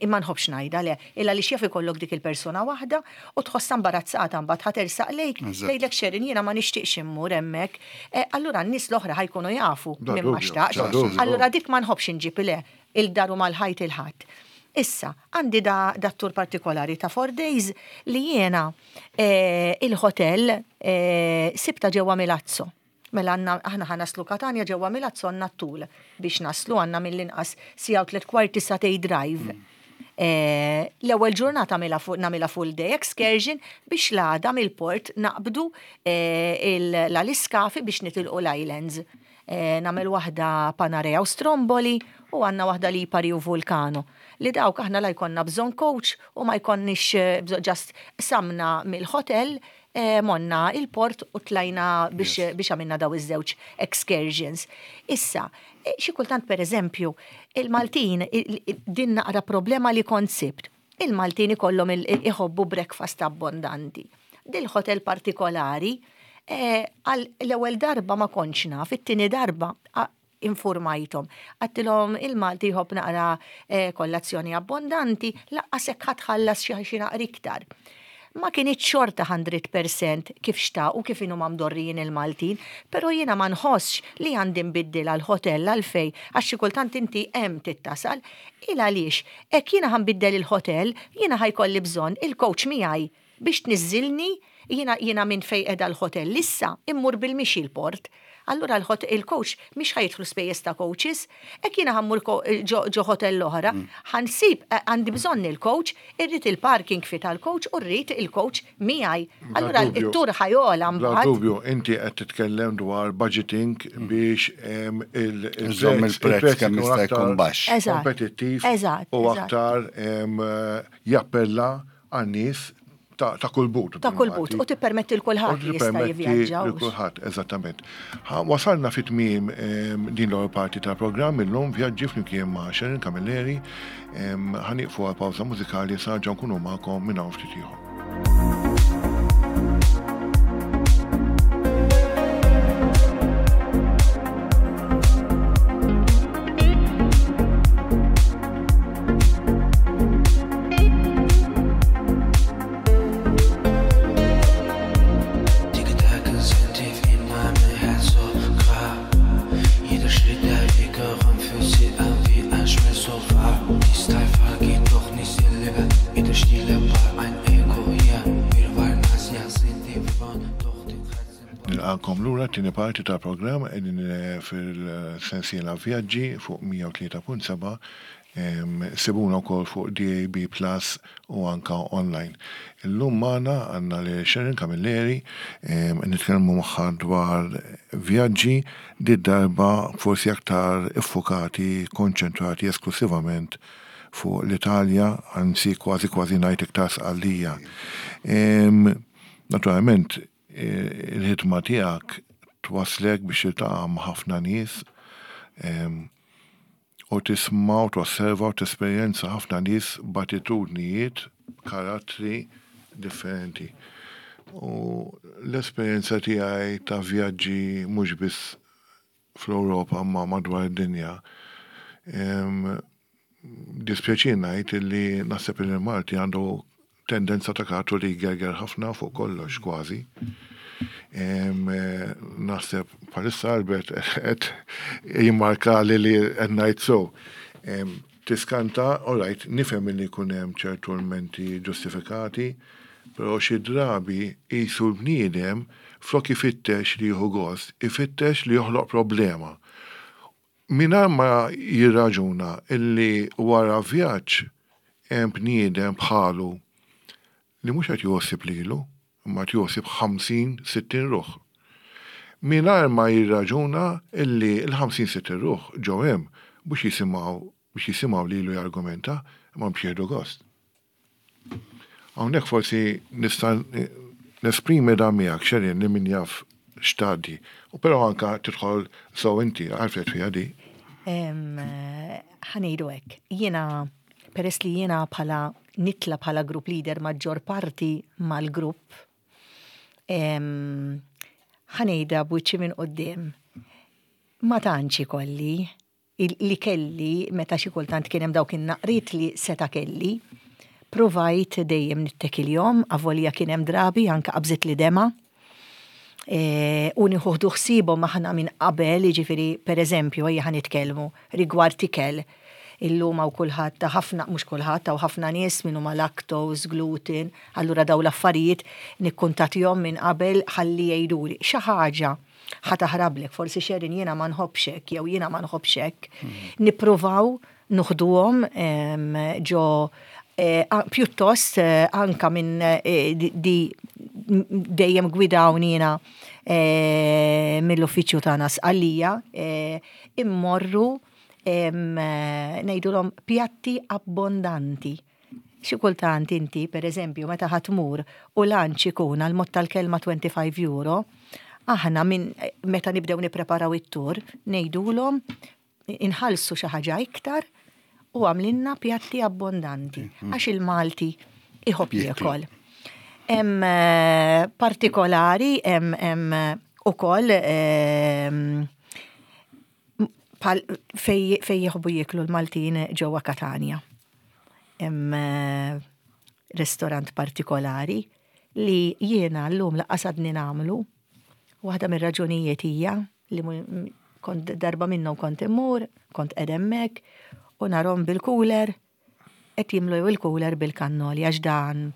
ma nħobbx ngħidha le. Illa għaliex jaf ikollok dik il-persuna waħda u tħossha imbarazzata mbagħad ħa tersaq lejk tgħidlek Sharon jiena ma nixtieqx immur hemmhekk. Eh, allura n-nies l-oħra ħa jkunu jafu min ma xtaqx. Allura dik ma nħobbx inġib le il-daru mal-ħajt il-ħadd. Issa, għandi da, da tur partikolari ta' four days li jiena eh, il-hotel eh, sibta ġewwa Milazzo. Mela għandna aħna ħa naslu Katanja ġewwa Milazzo għandna t-tul biex naslu għandna mill-inqas siegħa u tliet kwarti sagħtejn drive. Eh, L-ewwel ġurnata nagħmilha full day excursion biex l-għada mill-port naqbdu eh, l-iskafi biex nitilqu l-islands. Eh, nagħmel waħda Panarea u Stromboli u għandna waħda Lipari u Vulcano. Li dawk aħna la jkollna bżonn coach u ma jkollniex bżonn just samna mill-hotel. Monna il-port u tlajna biex biex għamilna daw iż-żewġ excursions. Issa, xi kultant pereżempju, il-Maltin din naqra problema li kont sibt. Il-Maltin ikollhom iħobbu breakfast abbondanti. Dil-hotel partikolari, għal l-ewwel darba ma kontx naf, it-tieni darba infurmajthom. Għedtilhom il-Malti jħobb naqra kollazzjoni abbondanti, laqqas hekk ħa tħallas xi naqra iktar. Ma kinitx xorta 100% kif xtaqu kif inhuma mdorrijin il-Maltin, però jiena ma nħossx li għandi nbiddilha l-ħotell għalfejn għax xi kultant inti hemm trid tasal. Il għaliex hekk jiena ħa nbiddel il-ħotell, jiena ħa jkolli bżonn il-coach miegħi biex tniżżilni, jiena jiena minn fejn qiegħda l-ħotell issa immur bil-mixi l-port. Allura il-coach mhix ħa jidħlu spejjeż ta' coaches. Hekk jiena ħa mmur ġo hotel oħra, ħa nsib għandi bżonn il-coach, irrid il-parking fee tal-coach u rrid il-coach miegħi. Allura it-tur ħa jogħla mbagħad. Bla dubju, inti qed titkellem dwar budgeting biex il-prezz kemm jista' jkun baxx. Kompetittiv u aktar jappella għan-nies ta' kull but. Ta' kull but, u tippermetti l kulħadd li jista' jivvjaġġa. Lil kulħadd, eżattament. Wasalna fi tmiem din l-ewwel parti tal-programm illum vjaġġi flimkien ma' Sharon Camilleri. Ħa nieqfu għal pawża mużikali sa nerġgħu nkunu magħkom minn hawn ftit ieħor. Nilqakom lura t-tieni parti tal-programm qegħdin eh, fil-sensiela vjaġġi fuq 103.7 Sibuna wkoll fuq DAB Plus u anka online. Illum magħna għandna lil Sharon Camilleri nitkellmu magħha dwar vjaġġi did-darba forsi aktar iffukati, konċentrati esklusivament fuq l-Italja, anzi kważi kważi ngħid iktar Sqallija. Naturalment il-ħidma tiegħek twasslek biex tiltaqa' ma' ħafna nies u tisma' u tosserva u tesperjenza ħafna nies b'attitudnijiet, b'karattri differenti. U l-esperjenza tiegħi ta' vjaġġi mhux biss fl-Ewropa imma madwar id-dinja, dispjaċini ngħid illi naħseb li l-Malti għandu tendenza ta' karattru li jgerger ħafna fuq kollox kważi. Naħseb bħalissa Albert qed jimmarka li li qed ngħid so. Tiskanta, all right, nifhem li jkun hemm ċertu lmenti ġustifikati, però xi drabi qisu l-bniedem flok ifittex li jieħu gost, ifittex li joħloq problema. Mingħajr ma jirraġuna illi wara vjaġġ hemm bniedem bħalu li mhux qed jgħossib lilu, imma qed jgħossib 50, 60 ruħ. Mingħajr ma jirraġuna illi l-50, 60 ruħ ġew hemm mhux jisimgħu biex jisimgħu lilu jargumenta, imma biex jieħdu gost. Hawnhekk forsi nista' nesprimi dan miegħek Sharon li min jaf x'tgħaddi. U però anka tidħol sew inti għarfet fiha di. Ħa ngħidu hekk, jiena peress li jiena bħala nitla bħala group leader maġġor parti mal-grupp, ħa ngħidha b'wiċċi minn quddiem. Ma tantx ikolli li kelli meta xi kultant kien hemm dawk in-naqriet li seta' kelli, pruvajt dejjem nittekiljhom avolja kien hemm drabi anke qabżitli demgħa. E, u nieħuħdu ħsiebhom aħna minn qabel, jiġifieri pereżempju ejja ħa nitkellmu rigward ikel. Illum hawn kulħadd ta' ħafna, mhux kulħadd, hawn ħafna nies min huma lactose, gluten, allura dawn l-affarijiet nikkuntatihom minn qabel ħalli jgħiduli xi ħaġa ħa taħrablek, forsi Sharon jiena ma nħobbx hekk jew jiena ma nħobbx hekk. Mm. Nippruvaw nuħduhom ġo eh, pjuttost eh, anka minn eh, di dejjem gwidawni jiena mill-uffiċċju tagħna Sqallija immorru ngħidulhom pjatti abbondanti. Xi kultant inti, per eżempju, meta ħa tmur u lunch ikun għal mod tal-kelma 25 euro, aħna minn meta nibdew nippreparaw it-tour ngħidulhom inħallsu xi ħaġa iktar u għamlilna pjatti abbondanti għax il-Malti iħobb jiekol. Hemm eh, partikolari hemm hemm ukoll ehm, fej fej jħobbu jieklu l-Maltin ġewwa Katanja. Hemm eh, restorant partikolari li jiena llum laqqas għadni nagħmlu. Waħda mir-raġunijiet hija li kont darba minnhom kont immur, kont qed hemmhekk u narhom bil-cooler qed jimlew il-cooler bil-kannoli għax dan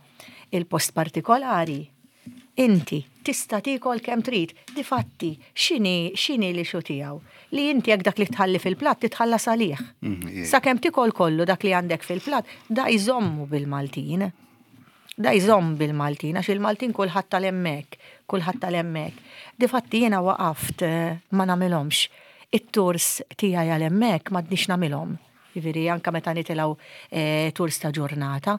il-post partikolari inti tista' tiekol kemm trid. Difatti, x'inhi x'inhi l-issue tiegħu? Li inti jekk dak li tħalli fil-platt titħallas għalih. Sakemm tikol kollu dak li għandek fil-platt, da jżommu bil-Maltin. Da jżomm bil-Maltin, għax il-Maltin kulħadd tal-hemmhekk, kulħadd tal-hemmhekk. Difatti jiena waqaft eh, ma nagħmilhomx. It-tours tiegħi għal hemmhekk m'għadniex nagħmilhom. Jiġifieri anke meta nitilgħu eh, tours ta' ġurnata,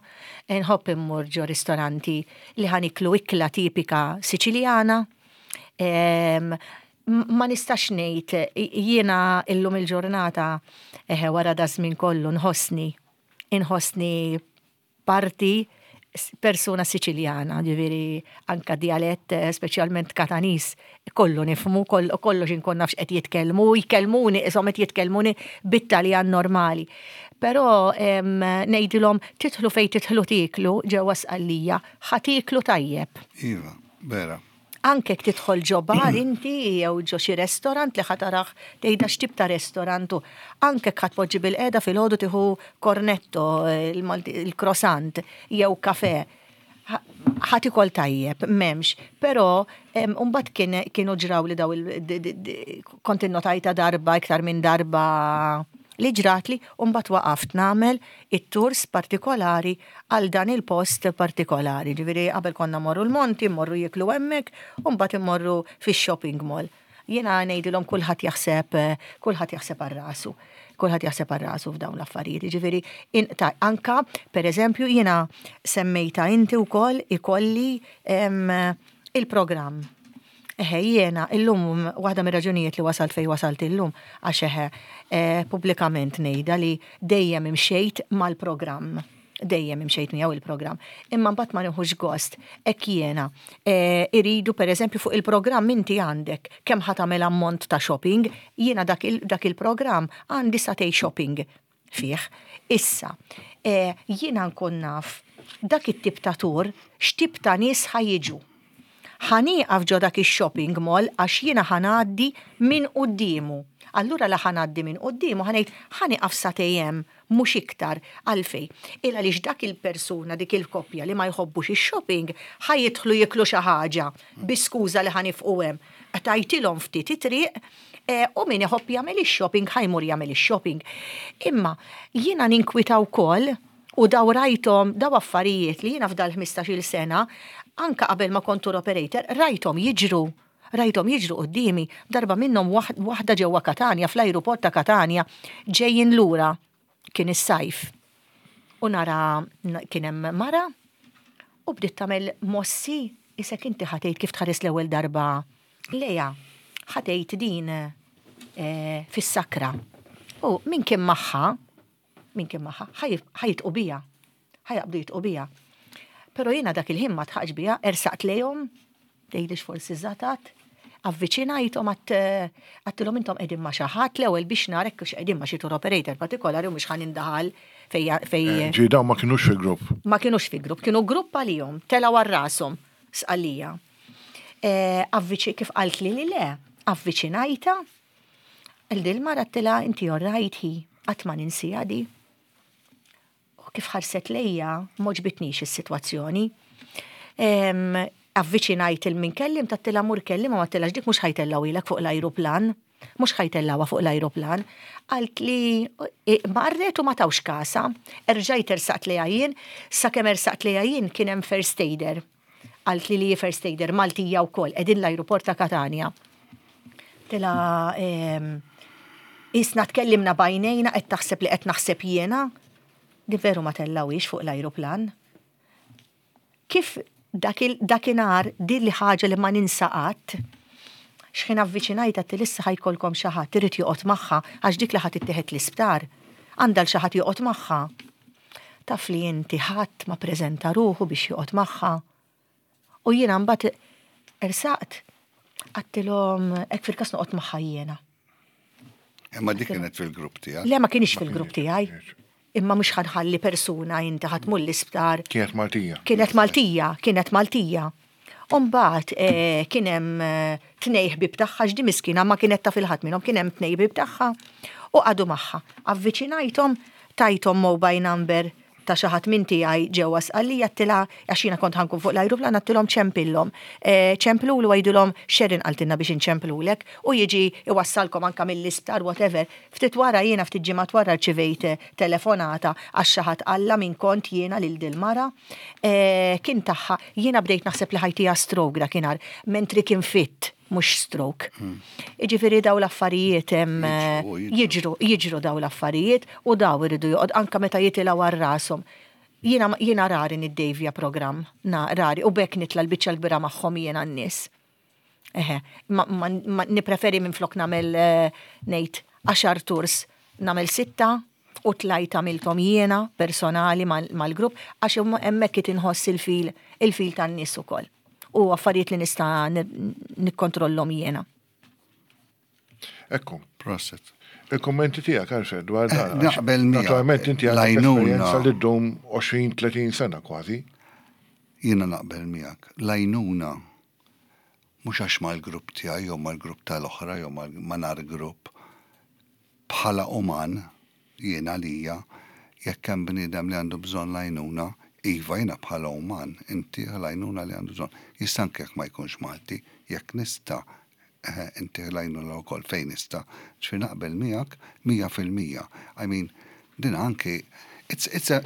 nħobb immur ġo ristoranti li ħa niklu ikla tipika Siċiljana. Ma nistax ngħid jiena illum il-ġurnata eħe wara da żmien kollu nħossni inħossni parti persuna Siċiljana, ġifieri anka dialett, eh, speċjalment Kataniż, kollu nifhmu, kollox inkun nafx qed jitkellmu, jkellmuni, isom qed jitkellmuni bit-Taljan normali. Però ngħidilhom tidħlu fejn tidħlu tieklu ġewwa Sqallija, ħa tieklu tajjeb. Iva, vera. Anke jekk tidħol ġo bar inti jew ġo xi restorant li ħa tarah tgħidha x'tip ta' restorant hu. Anke jekk ħa tpoġġi bilqiegħda filgħodu tieħu cornetto, il-croissant jew kafè. Ħa tikol tajjeb, m'hemmx. Però mbagħad kien kienu ġrawli daw il kont innotajtha darba iktar minn darba li ġratli u mbagħad waqaft nagħmel it-tours partikolari għal dan il-post partikolari. Ġifieri qabel konna mmorru l-monti, mmorru jieklu hemmhekk, u mbagħad immorru fix-shopping mall. Jiena ngħidilhom kulħadd jaħseb kulħadd jaħseb għal rasu. Kulħadd jaħseb għal rasu f'dawn l-affarijiet. Ġifieri anka pereżempju jiena semmejta inti wkoll ikolli il-programm. Eħe, jiena illum waħda mir-raġunijiet li wasalt fejn wasalt illum għax eħe eh, pubblikament ngħidha li dejjem imxejt mal-programm. Dejjem imxejt miegħu il-programm. Imma mbagħad ma nieħux gost hekk jiena eh, iridu pereżempju fuq il-programm inti għandek kemm ħa tagħmel ammont ta' shopping, jiena dak il-programm għandi sagħtejn shopping fih. Issa, eh, jiena nkun naf dak it-tip ta' tour x'tip ta' nies ħa jiġu. Ħa nieqaf ġo dak ix-shopping mall għax jiena ħa ngħaddi minn quddiemu. Allura la ħa ngħaddi minn quddiemu ħa ngħid ħa nieqaf sagħtejn hemm mhux iktar. Għalfejn? Il għaliex dak il-persuna, dik il-koppja li ma jħobbux ix-shopping ħa jidħlu jieklu xi ħaġa bi skuża li ħa nifqu hemm. Qtajtilhom ftit it-triq eh, u min iħobb jagħmel ix-shopping ħa jmur jagħmel ix-shopping. Imma jiena ninkwita wkoll u daw rajthom daw affarijiet li jiena f'dal 15-il sena anka qabel ma kont tour operator rajthom jiġru. Rajthom jiġru quddiemi darba minnhom waħda ġewwa Katanja fl-ajruport ta' Katanja ġejjin lura kien is-sajf. U nara kien hemm mara u bdiet tagħmel mossi isek inti ħa tgħid kif tħares l-ewwel darba lejha ħa tgħid din eh, fis-sakra. U min kien magħha, min kien magħha, ħa jitqu bija. Ħa jaqbdu jitqu bija. Però jiena dak il-ħin ma tħaqx bija, ersaqt lejhom, tgħidlix forsi żatat, avviċinajthom għattilhom intom qegħdin ma' xi ħadd l-ewwel biex nara hekk hux qegħdin ma' xi tour operator partikolari u mhux ħa nindaħal fej fej. Eh, ġi dawn ma kinux fi grupp. Ma kinux fi grupp, kienu grupp għalihom, telgħu għal rashom sqallija. Eh, avviċi kif qaltli li le, avviċinajta, il-dil mara għattilha inti all right hi, qatt ma ninsiha di. U kif ħarset lejja, m'għoġbitnix is-sitwazzjoni. Avviċinajt il min kellim, għedtilha mur kellim, u għedtilha dik mhux ħa jtellgħuhielek fuq l-ajruplan. Mhux ħa jtellgħuha fuq l-ajruplan. Qalt li marret u ma tawx kasha. Erġajt ersaqt lejha jien, sakemm ersaqt lejha jien kien hemm first aider. Qalt li li first aider Maltija wkoll, qegħdin l-ajruport ta' Katanja. Għedtilha isna tkellimna b'għajnejna qed taħseb li qed naħseb jiena. Din veru ma tellgħuhiex fuq l-ajruplan. Kif dakinhar din li ħaġa li ma ninsa qatt, x'ħin avviċinajt għedtilha issa ħa jkollkom xi ħadd irid joqgħod magħha għax dik li ħa tittieħed l-isptar għandha 'l xi ħadd joqgħod magħha. Taf li inti ħadd ma preżenta ruħu biex joqgħod magħha. U jiena mbagħad ersaqt għedtilhom hekk fil-każ noqgħod magħha jiena. Imma dik kienet fil-grupp tiegħek? Le ma kienx fil-grupp tiegħi. Imma mhux ħa nħalli persuna inti ħa tmur l-isptar. Kienet Maltija. Kienet Maltija, kienet Maltija. Umbagħad eh, kien hemm eh, tnej ħbib tagħha x'di miskina ma kienet taf il-ħadd minnhom kien hemm tnej ħbib tagħha u qagħdu magħha. Avviċinajthom, tajthom mobile number ta' xi ħadd minn tiegħi ġewwa Sqallija għedtilha għax jiena kont ħa nkun fuq l-ajruplan għedtilhom ċempillhom. Eh, ċemplulu għidulhom Sharon qaltilna biex inċemplulek u jiġi iwassalkom anka mill-isptar whatever. Ftit wara jiena ftit ġimgħat wara rċivejt telefonata għax xi ħadd qalla min kont jiena lil dil-mara. Eh, kien tagħha jiena bdejt naħseb li ħa jtiha stroke dakinhar mentri kien fit mhux stroke. Iġifieri daw l-affarijiet jiġru, jiġru daw l-affarijiet u daw iridu joqgħod anka meta jitilgħu għal rashom. Jiena jiena rari niddejvja programm, na rari u bekk nitla' l-biċċa l-kbira magħhom jiena n-nies. Eħe, ma, ma, ma nippreferi minn flok nagħmel ngħid għaxar tours nagħmel sitta u tlajt għamilthom jiena personali mal-grupp għax hemmhekk qed inħoss il-feel il-feel tan-nies ukoll. U affarijiet li nista' nikkontrollhom jiena. Ekku. Proset. Il-kommenti tiegħek Alfred dwar dan. Naqbel miegħek. Naturalment inti għandek esperjenza li ddum 20-30 sena kważi. Jiena naqbel miegħek. L-għajnuna mhux għax mal-grupp tiegħi jew mal-grupp tal-oħra jew ma' nar grupp. Bħala uman, jiena għalija, jekk hemm bniedem li għandu bżonn l-għajnuna, iva jiena bħala uman intih l-għajnuna li għandu bżonn. Jista' anke jekk ma jkunx Malti, jekk nista' intih l-għajnuna wkoll fejn nista'. Ġifieri naqbel miegħek 100%. I mean, din anki it's, it's a,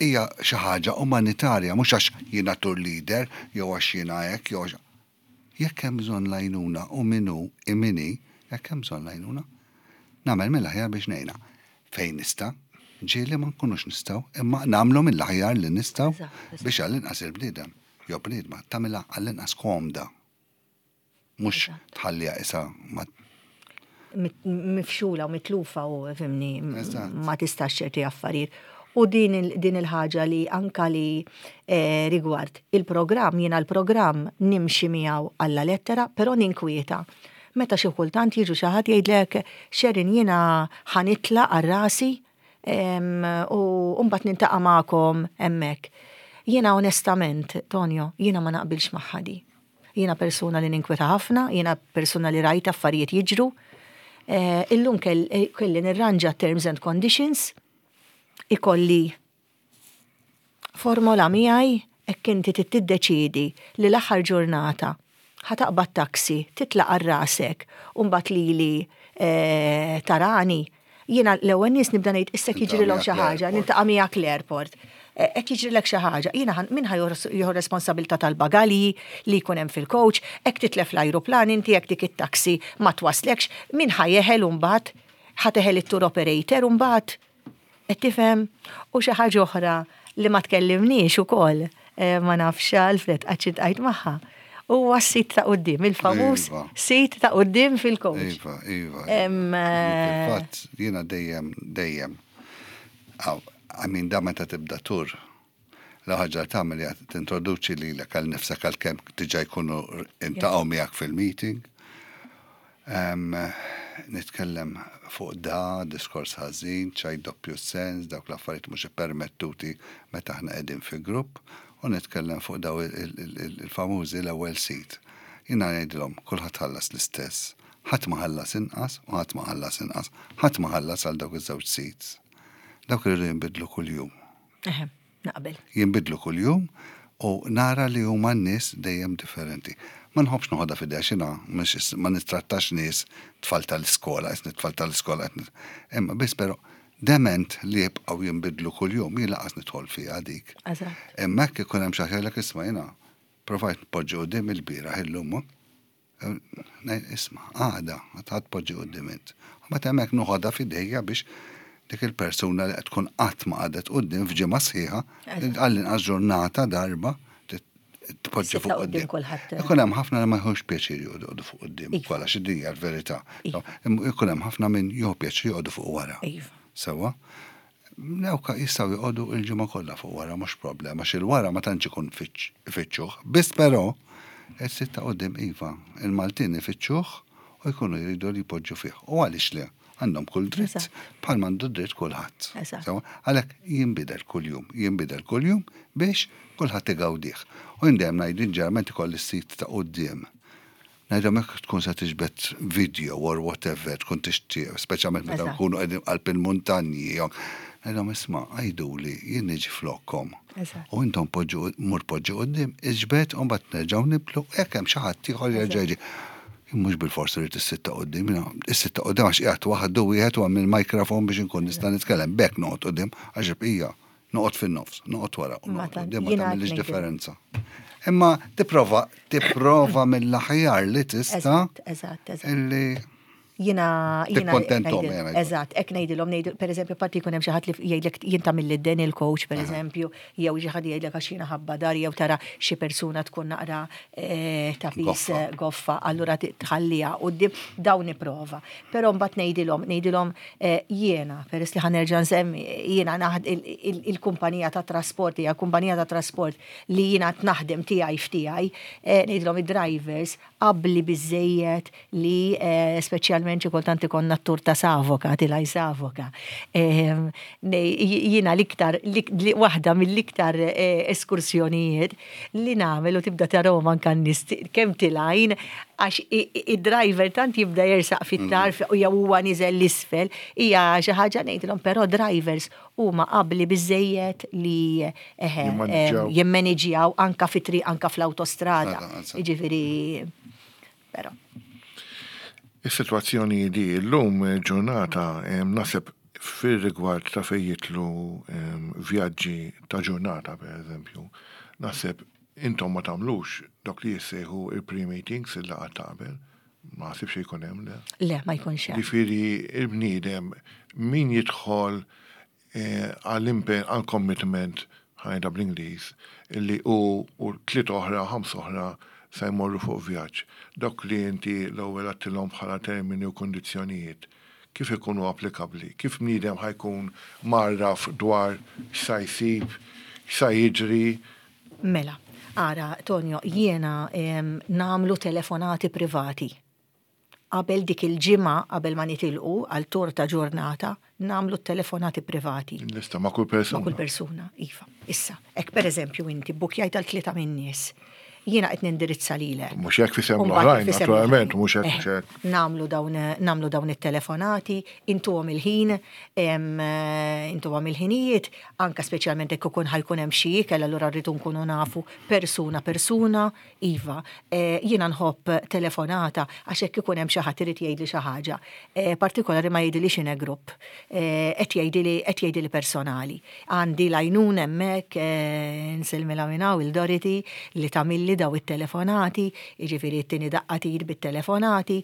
hija xi ħaġa umanitarja, mhux għax jiena tour leader jew għax jiena hekk jew għax Jekk hemm bżonn l-għajnuna u min hu min hi, jekk hemm bżonn l-għajnuna, nagħmel mill-aħjar biex ngħinha. Fejn nista', ġieli ma nkunux nistgħu, imma nagħmlu mill-aħjar li nistgħu biex għall-inqas il-bniedem jew bniedma tagħmilha għall-inqas komda. Mhux tħalliha isa ma mifxula u mitlufa u fimni ma tistax ċerti affarijiet. U din il-ħaġa li anka li eh, rigward il-programm, jiena l-programm nimxi miegħu alla lettera, però ninkwieta. Meta xi kultant jiġu xi ħadd jgħidlek Sharon jiena ħa nitla' għal rasi u mbagħad niltaqa' magħkom hemmhekk. Jiena onestament, Tonio, jiena ma naqbilx magħha di. Jiena persuna li ninkweta ħafna, jiena persuna li rajt affarijiet jiġru. Eh, illum eh, kelli nirranġa terms and conditions, ikolli formola miegħi hekk inti tiddeċidi li l-aħħar ġurnata ħa taqbad taxi, titlaq għal rasek, u mbagħad lili eh, tarani, jiena l-ewwel nies nibda ngħid issa jiġrilhom xi ħaġa, niltaqa' miegħek l-airport. Hekk jiġrilek xi ħaġa, jiena min ħa jieħu responsabilità tal-bagalji li jkun hemm fil-coach, hekk titlef l-ajruplan inti jekk dik it-taxi ma twaslekx, min ħa jeħel mbagħad ħa teħel it-tour operator mbagħad. Qed tifhem? U xi ħaġa oħra li ma tkellimniex ukoll, eh, ma nafx Alfred qatt iltqajt magħha. Huwa s-seat ta' quddiem, il-famuż Iva. seat ta' quddiem fil-coach. Iva, iva. Eh, Fatt, jiena dejjem, dejjem. I mean, da meta tibda tour, la ħaġa tagħmel hija tintroduċi lilek għal nifsek għal kemm diġà jkunu iltaqgħu miegħek fil-meeting. Nitkellem fuq da, diskors ħażin, ċajt doppju sens, dawk l-affarijiet mhux permettuti meta aħna qegħdin fi grupp, u nitkellem fuq daw il-famużi l-ewwel seat. Jiena ngħidilhom kulħadd ħallas l-istess. Ħadd ma ħallas inqas u ħadd ma ħallas inqas. Ħadd ma ħallas għal dawk iż-żewġ seats. Dawk iridu jinbidlu kuljum. Eħe, naqbel. Jinbidlu kuljum u nara li huma n-nies dejjem differenti. Ma nħobbx noħodha f'idejja x'inha ma nittrattax nies tfal tal-iskola, qisni tfal tal-iskola qed Imma biss però dement li jibqgħu jinbidlu kuljum jien lanqas nidħol fiha dik. Eżatt. Imma hekk ikun hemm xi ħaġa jgħidlek isma' jiena provajt npoġġi quddiem il-bieraħ illum. Isma' għada ħa tpoġġi quddiem int. Mbagħad hemmhekk noħodha f'idejja biex. dik il-persuna li qed tkun qatt ma qagħdet quddiem f'ġimgħa sħiħa, għall-inqas ġurnata darba tpoġġi fuq quddiem. Ikun hemm ħafna li ma jħux pjaċir joqogħdu fuq quddiem iva. ukoll għax din hija l-verità. Iva. Ikun hemm ħafna min jieħu pjaċir joqogħdu fuq wara. Iva. Sewwa. Dawk jistgħu joqogħdu il-ġimgħa kollha fuq wara mhux problema għax il-wara ma tantx ikun ifittxuh. Biss però is-sit ta' quddiem iva, il-Maltin ifittxuh u jkunu jridu li jpoġġu fih. U għaliex le? Għandhom kull dritt bħal m'għandu dritt kulħadd. Għalhekk jinbidel kuljum, jinbidel kuljum biex kulħadd igawdih. U jien dejjem ngħid ġeneralment ikolli s-sit ta' quddiem. Ngħidhom jekk tkun se tiġbed video or whatever, tkun tixtieq, speċjalment meta nkunu qegħdin qalb il-muntanji. Ngħidhom isma' għiduli jien niġi flokkom. U intom poġġu mur poġġi quddiem, iġbed u mbagħad nerġgħu nibdlu jekk hemm xi ħadd ieħor jerġa' jiġi. Mhux bilfors irid is-sit ta' quddiem, is-sit ta' quddiem għax qiegħed waħdu wieħed u hemm il-microphone biex inkun nista' nitkellem. B'hekk noqgħod quddiem għax il-bqija Noqgħod fin-nofs, noqgħod wara u noqgħod quddiem ma tagħmilx differenza. Imma tipprova tipprova mill-aħjar li tista' Eżatt, eżatt. Illi Jina, jina. Tikkontentom, jena. Eżatt, hekk ngħidilhom ngħidu, pereżempju, parti jkun hemm xi ħadd li jgħidlek jien tagħmilli d-den il-coach, pereżempju, jew xi ħadd jgħidlek għax jiena ħabba dar jew tara xi persuna tkun naqra eh, ta' pis eh, goffa, allura tħalliha quddiem dawn nipprova. Però mbagħad ngħidilhom, ngħidilhom Jiena, peress li ħa nerġa' nsemmi, jiena il-kumpanija ta' trasport hija kumpanija ta' trasport li jiena qed naħdem tiegħi f'tiegħi, ngħidilhom id-drivers abbli biżżejjed li speċjalment xi kultant ikollna t-tur ta' Savoca, tilgħi Savoca. Jiena l-iktar, waħda mill-iktar eskursjonijiet li nagħmel u tibda tarahom anke n-nies kemm tilgħin għax id-driver tant jibda jersaq fit-tarf mm. jew huwa niżel l-isfel, hija xi ħaġa ngħidilhom però drivers huma qabli biżejjed li eħe jimmaniġjaw anka fit-triq anka fl-awtostrada. Jiġifieri però. Is-sitwazzjoni di llum ġurnata naħseb fir-rigward ta' fejn jidħlu vjaġġi ta' ġurnata pereżempju, naħseb intom ma tagħmlux dawk li jissejħu il-pre-meetings, il-laqgħat ta' qabel, ma naħsibx li jkun hemm, le? Le, ma jkunx hemm. Jiġifieri l-bniedem min jidħol għall-impenn, għall-commitment, ħa ngħidha bl-Ingliż, li hu u tlieta oħra, ħamsa oħra se jmorru fuq vjaġġ. Dawk li inti l-ewwel għedtilhom bħala termini u kundizzjonijiet, kif ikunu applikabbli? Kif bniedem ħa jkun mgħarraf dwar x'sa jsib, x'sa jiġri? Mela, ara, Tonio, jiena nagħmlu telefonati privati. Qabel dik il-ġimgħa, qabel ma nitilqu għal tour ta' ġurnata, nagħmlu t-telefonati privati. Lista ma' kull persuna. Ma' kull persuna, iva. Issa, hekk pereżempju inti bbukjajt għal tlieta min-nies, jiena qed nindirizza lilek. Mhux hekk f'isem l-oħrajn, naturalment, mhux hekk, mhux hekk. Nagħmlu dawn, nagħmlu dawn it-telefonati, intuhom il-ħin, intuhom il-ħinijiet, anke speċjalment jekk ikun ħa jkun hemm xi ikel, allura rridu nkunu nafu persuna persuna, Iva, jiena nħobb telefonata għax hekk ikun hemm xi ħadd irid jgħidli xi ħaġa. Partikolari ma jgħidilix in a group. Qed jgħidili qed jgħidili personali. Għandi l-għajnuna hemmhekk, nsellmilha minn hawn il Dorothy li tagħmilli daw it-telefonati, jiġifieri ttini daqqa t'id bit-telefonati,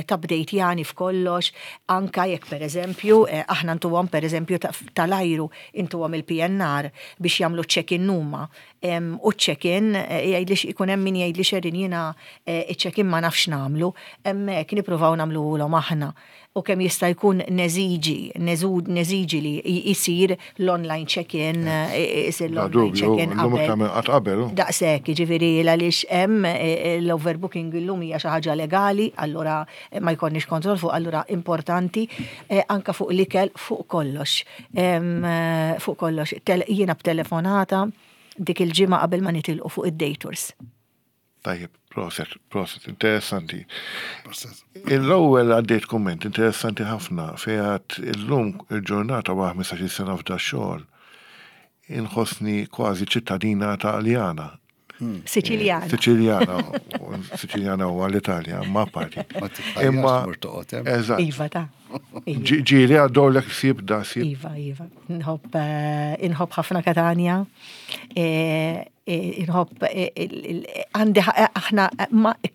tabdejtjani f'kollox, anke jekk pereżempju aħna ntuhom pereżempju tal-ajru intuhom il-PNR biex jagħmlu ċ-check-in huma. U ċ-check-in, jgħidli ikun hemm min jgħidli Sherin jiena ċ-check-in ma nafx nagħmlu, hemmhekk nippruvaw nagħmluhulhom aħna. U kemm jista' jkun neżiġi, neżiġi li jsir l-online check-in, isir l-online check-in qabel. Daqshekk, jiġifieri għaliex hemm l-overbooking illum hija xi ħaġa legali, allura ma jkollniex kontroll fuq, allura importanti anke fuq l-ikel, fuq kollox. Fuq kollox, jiena b'telefonata dik il-ġimgħa qabel ma nitilqu fuq id-day tours. Tajjeb, proset, proset, interessanti. L-ewwel għaddejt kumment interessanti ħafna fejn għad illum il-ġurnata wara 15-il sena f'da xogħol inħossni kważi ċittadina Taljana. Hmm. Siċiljana. Siċiljana, Siċiljana huwa l-Italja, ma parti. Imma Eżatt. Iva ta. Ġieli għaddowlek sib da sib. Iva, iva. Nħobb eh, inħobb ħafna Katanja. Eh, Inħobb għandi aħna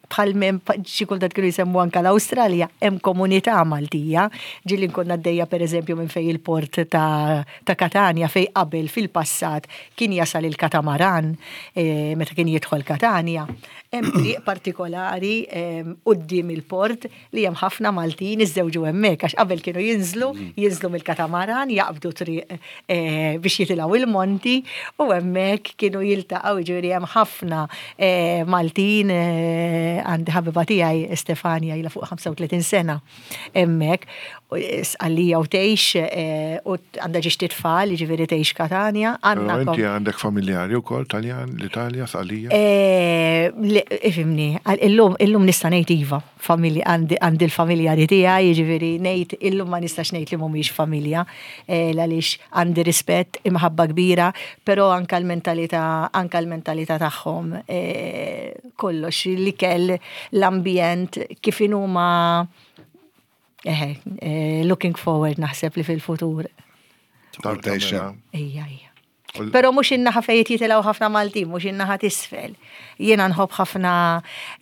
bħal minn xi kultant kienu jsemmu anka l-Awstralja hemm komunità Maltija. Ġieli nkun għaddejja pereżempju minn fejn il-port ta' ta' Katanja fejn qabel fil-passat kien jasal il-katamaran meta kien jidħol Katanja. Hemm triq partikolari quddiem il-port li hemm ħafna Maltin iżżewġu hemmhekk għax qabel kienu jinżlu, jinżlu mill-katamaran, jaqbdu triq eh, biex jitilgħu il-monti u hemmhekk kienu jiltaqgħu jiġifieri hemm ħafna eh, Maltin eh, għandi ħabiba tiegħi Stefania ilha fuq 35 sena hemmhekk Sqallija u tgħix u għandha ġiex titfal, jiġifieri tgħix Katanja. Għandna inti għandek familjari wkoll Taljan, l-Italja, Sqallija? Ifhimni, illum illum nista' ngħid iva, familja għandi l-familjari tiegħi, jiġifieri ngħid illum ma nistax ngħid li mhumiex familja għaliex għandi rispett, imħabba kbira, però anke l-mentalità anke l-mentalità tagħhom kollox l-ikel, l-ambjent, kif inhuma Eħe, eh, looking forward naħseb li fil-futur. Ija, ija. Pero mux in-naħa fejn jitilgħu ħafna Maltin, mux in-naħa tisfel. Jiena nħobb ħafna,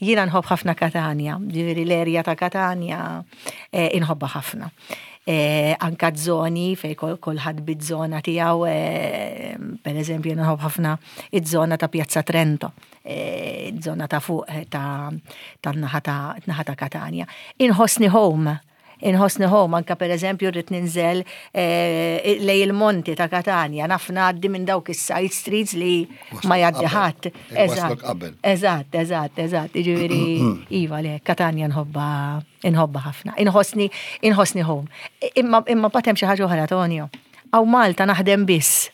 jiena nħobb ħafna Katanja, ġifieri l-erja ta' Katanja eh, inħobbha ħafna. Eh, anka zoni fej kulħadd biż-żona tiegħu, eh, per eżempju nħobb ħafna iż-żona ta' Piazza Trento. Żona ta' fuq ta' tan-naħa ta' naħa ta' Katanja. Inħossni home. Inħossni home anka per eżempju rrid ninżel eh, lej il-monti ta' Katanja, naf ngħaddi minn dawk is-side streets li ma jgħaddi ħadd. Eżatt, eżatt, eżatt, eżatt. Jiġifieri iva le, Katanja nħobba inħobba ħafna. Inħossni inħossni home. Imma imma batem xi ħaġa oħra Tonio. Aw Malta naħdem biss.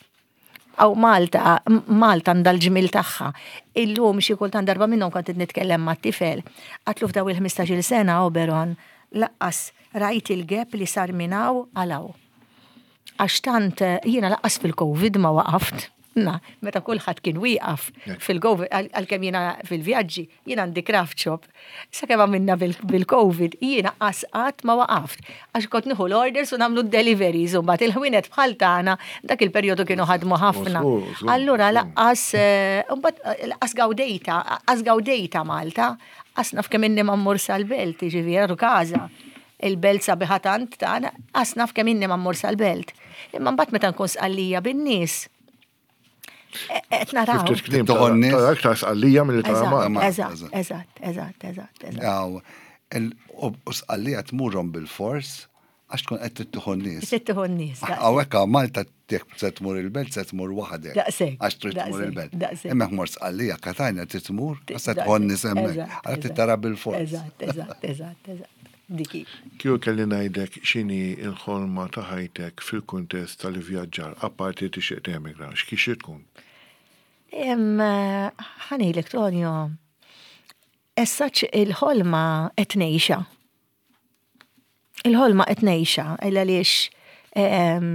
Aw Malta, Malta għandha l-ġmiel tagħha. Illum xi kultant darba minnhom kont qed nitkellem mat-tifel, għatlu f'daw il-15-il sena Oberon laqqas rajt il-gap li sar minn hawn għal hawn. Għax tant jiena laqqas fil-Covid ma waqaft. Na, meta kulħadd kien wieqaf fil-Covid, għalkemm jiena fil-vjaġġi, Jien għandi craft shop. Sakemm għamilna bil-Covid, jiena qas qatt ma waqaft. Għax kont nieħu l-orders u nagħmlu d-deliveries u mbagħad il-ħwienet bħal tagħna dak il-perjodu kienu ħadmu ħafna. Allura laqqas eh, mbagħad eh, laqqas gawdejta, qas gawdejta Malta, qas naf kemm inni ma mmur sal-belt, jiġifieri għadu każa. Il-belt sabiħa tant tagħna, qas naf kemm inni ma mmur sal-belt. Imma mbagħad meta nkun sqallija bin-nies, Qed naraw. Ftit kliem tara iktar sqallija milli tara Malta. Eżatt, eżatt, eżatt, eżatt. U sqallija tmurhom bil-fors għax tkun qed tittieħu n-nies. Tittieħu n-nies. Hawnhekk hawn Malta jekk se tmur il-belt se tmur waħdek. Daqshekk. Għax trid tmur il-belt. Imma jekk mort Sqallija Katanja trid tmur għax se tieħu n-nies hemmhekk. Għalhekk trid tara bil-fors. Eżatt, eżatt, eżatt, eżatt. Dik hi. Kieku kelli ngħidlek x'inhi l-ħolma ta' ħajtek fil-kuntest tal-ivvjaġġar, apparti li tixtieq temigra, x'kixi tkun? Ħa ngħidlek Tonio, as such il-ħolma qed ngħixha. Il-ħolma qed ngħixha għaliex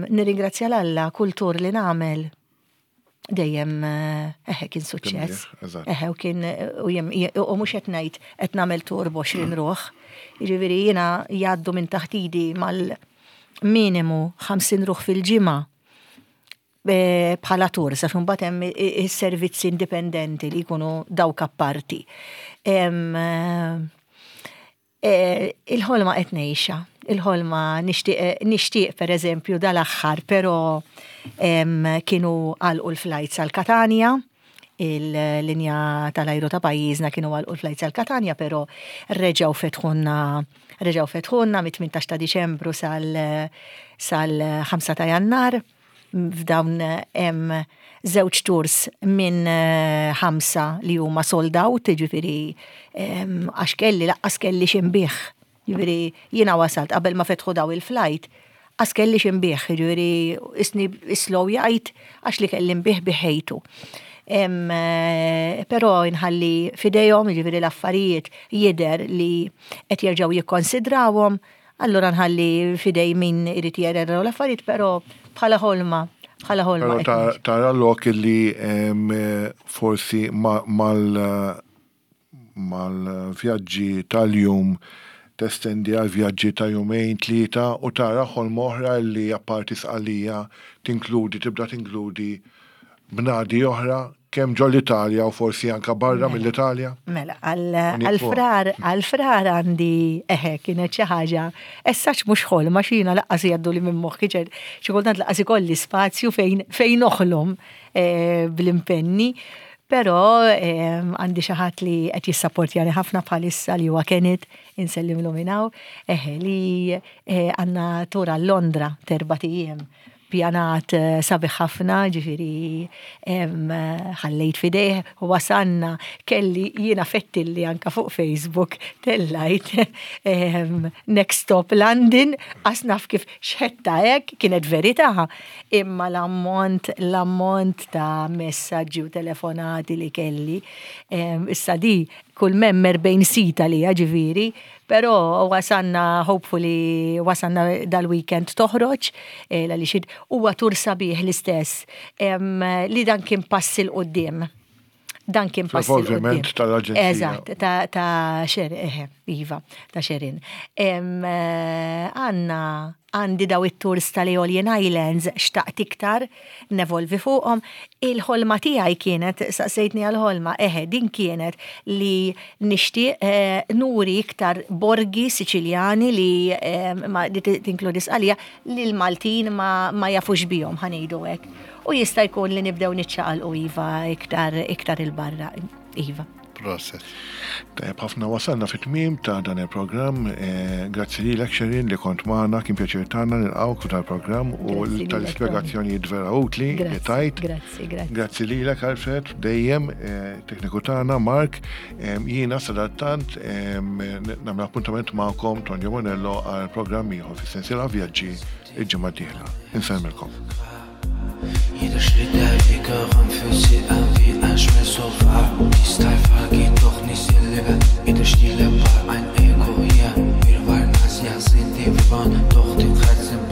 nirringrazzja 'l Alla kull tour li nagħmel dejjem eħe kien suċċess. Eħe u kien u jem u mhux qed ngħid qed nagħmel tour b'20 ruħ. Jiġifieri jiena jgħaddu minn taħt idi mal-minimu 50 ruħ fil-ġimgħa bħala tour, sa mbagħad hemm is-servizzi indipendenti li jkunu dawk apparti. Il-ħolma qed ngħixha. Il-ħolma nixtieq nixtieq pereżempju dal-aħħar, però kienu għalqu l-flights għal Katanja, il-linja tal-ajru ta' pajjiżna kienu għalqu l-flights għal Katanja, però reġgħu fetħulna reġgħu fetħulna mit-18 ta' Diċembru sal sal-5 ta' Jannar. F'dawn hemm żewġ tours minn ħamsa li huma sold out, jiġifieri għax kelli laqqas kelli x'inbigħ. Jiġifieri jiena wasalt qabel ma fetħu daw il-flight, qas kelli x'inbigħ, jiġifieri isni slow jgħid għax li kelli nbigħ biħejtu. Però nħalli f'idejhom, jiġifieri l-affarijiet jidher li qed jerġgħu jikkonsidrawhom, Allura nħalli f'idej min irid jerera dawn l-affarijiet, però bħala ħolma, bħala ħolma. Però tara lok li forsi mal-vjaġġi tal-jum testendi għal vjaġġi ta' jumejn, tlieta u tara ħolma oħra li apparti Sqallija tinkludi, tibda tinkludi bnadi oħra. kemm ġol Italja u forsi anka barra mela. mill-Italja? Mela, għal-frar, għal-frar għandi eħe kienet xi ħaġa, essaċ mhux ħolma xina laqqas jgħaddu li minn moħħi xi kultant laqqas ikolli spazju fejn fejn noħlom eh, bl-impenni. Però eh, għandi xi ħadd li qed jissapportjani ħafna bħalissa li huwa Kenneth, insellimlu minn hawn, eħe li eh, għandna tura Londra terba' ijiem pjanat eh, sabiħ ħafna, ġifiri ħallejt fidejh, wasanna kelli jiena fettilli anka fuq Facebook tellajt Next Stop London, għax naf kif xħetta hekk, kienet verità, imma l-ammont, l-ammont ta' messaġġi u telefonati li kelli, issa di kull memmer bejn sita li ġifiri, pero wasanna, hopefully, wasanna dal-weekend toħroġ, eh, għaliex huwa tur sabiħ l-istess, li dan kien pass 'il quddiem. Dan kien pass 'il quddiem. tal-aġenzija. Eżatt, ta' Sharon, Iva, ta' Sharon. Eh, għanna għandi daw it-tours tal-Aeolian Islands xtaqt iktar nevolvi fuqhom. Il-ħolma tiegħi kienet, saqsejtni għal-ħolma, eħe, din kienet li nixtieq eh, nuri iktar borgi Siċiljani li eh, ma li tinkludi Sqalija li l-Maltin ma jafux bihom ħa ngħidu hekk. U jista' jkun li nibdew niċċaqalqu iva iktar iktar il-barra. Iva. Proset. Tajjeb ħafna wasalna fit-tmiem ta' dan il-programm. Eh, grazzi lilek Sharon li kont magħna, kien pjaċir tagħna nilqgħuk f'dan il-programm u Grazzi lilek, tal-ispjegazzjonijiet vera utli li Grazzi, tajt. grazzi, grazzi. Grazzi lilek Alfred, dejjem eh, tekniku tagħna Mark, jiena sadattant nagħmel appuntament magħkom Tonio Monello għal programm ieħor fis-sensiela vjaġġi il-ġimgħa d-dieħla. Insellmilkom. Jeder Schritt der Weg fühlt sich an wie ein Schmerzsofa. Die Style geht doch nicht ihr Leben. Jeder Stille war ein Echo hier. Wir waren als ja sind die Waren, doch die Herzen.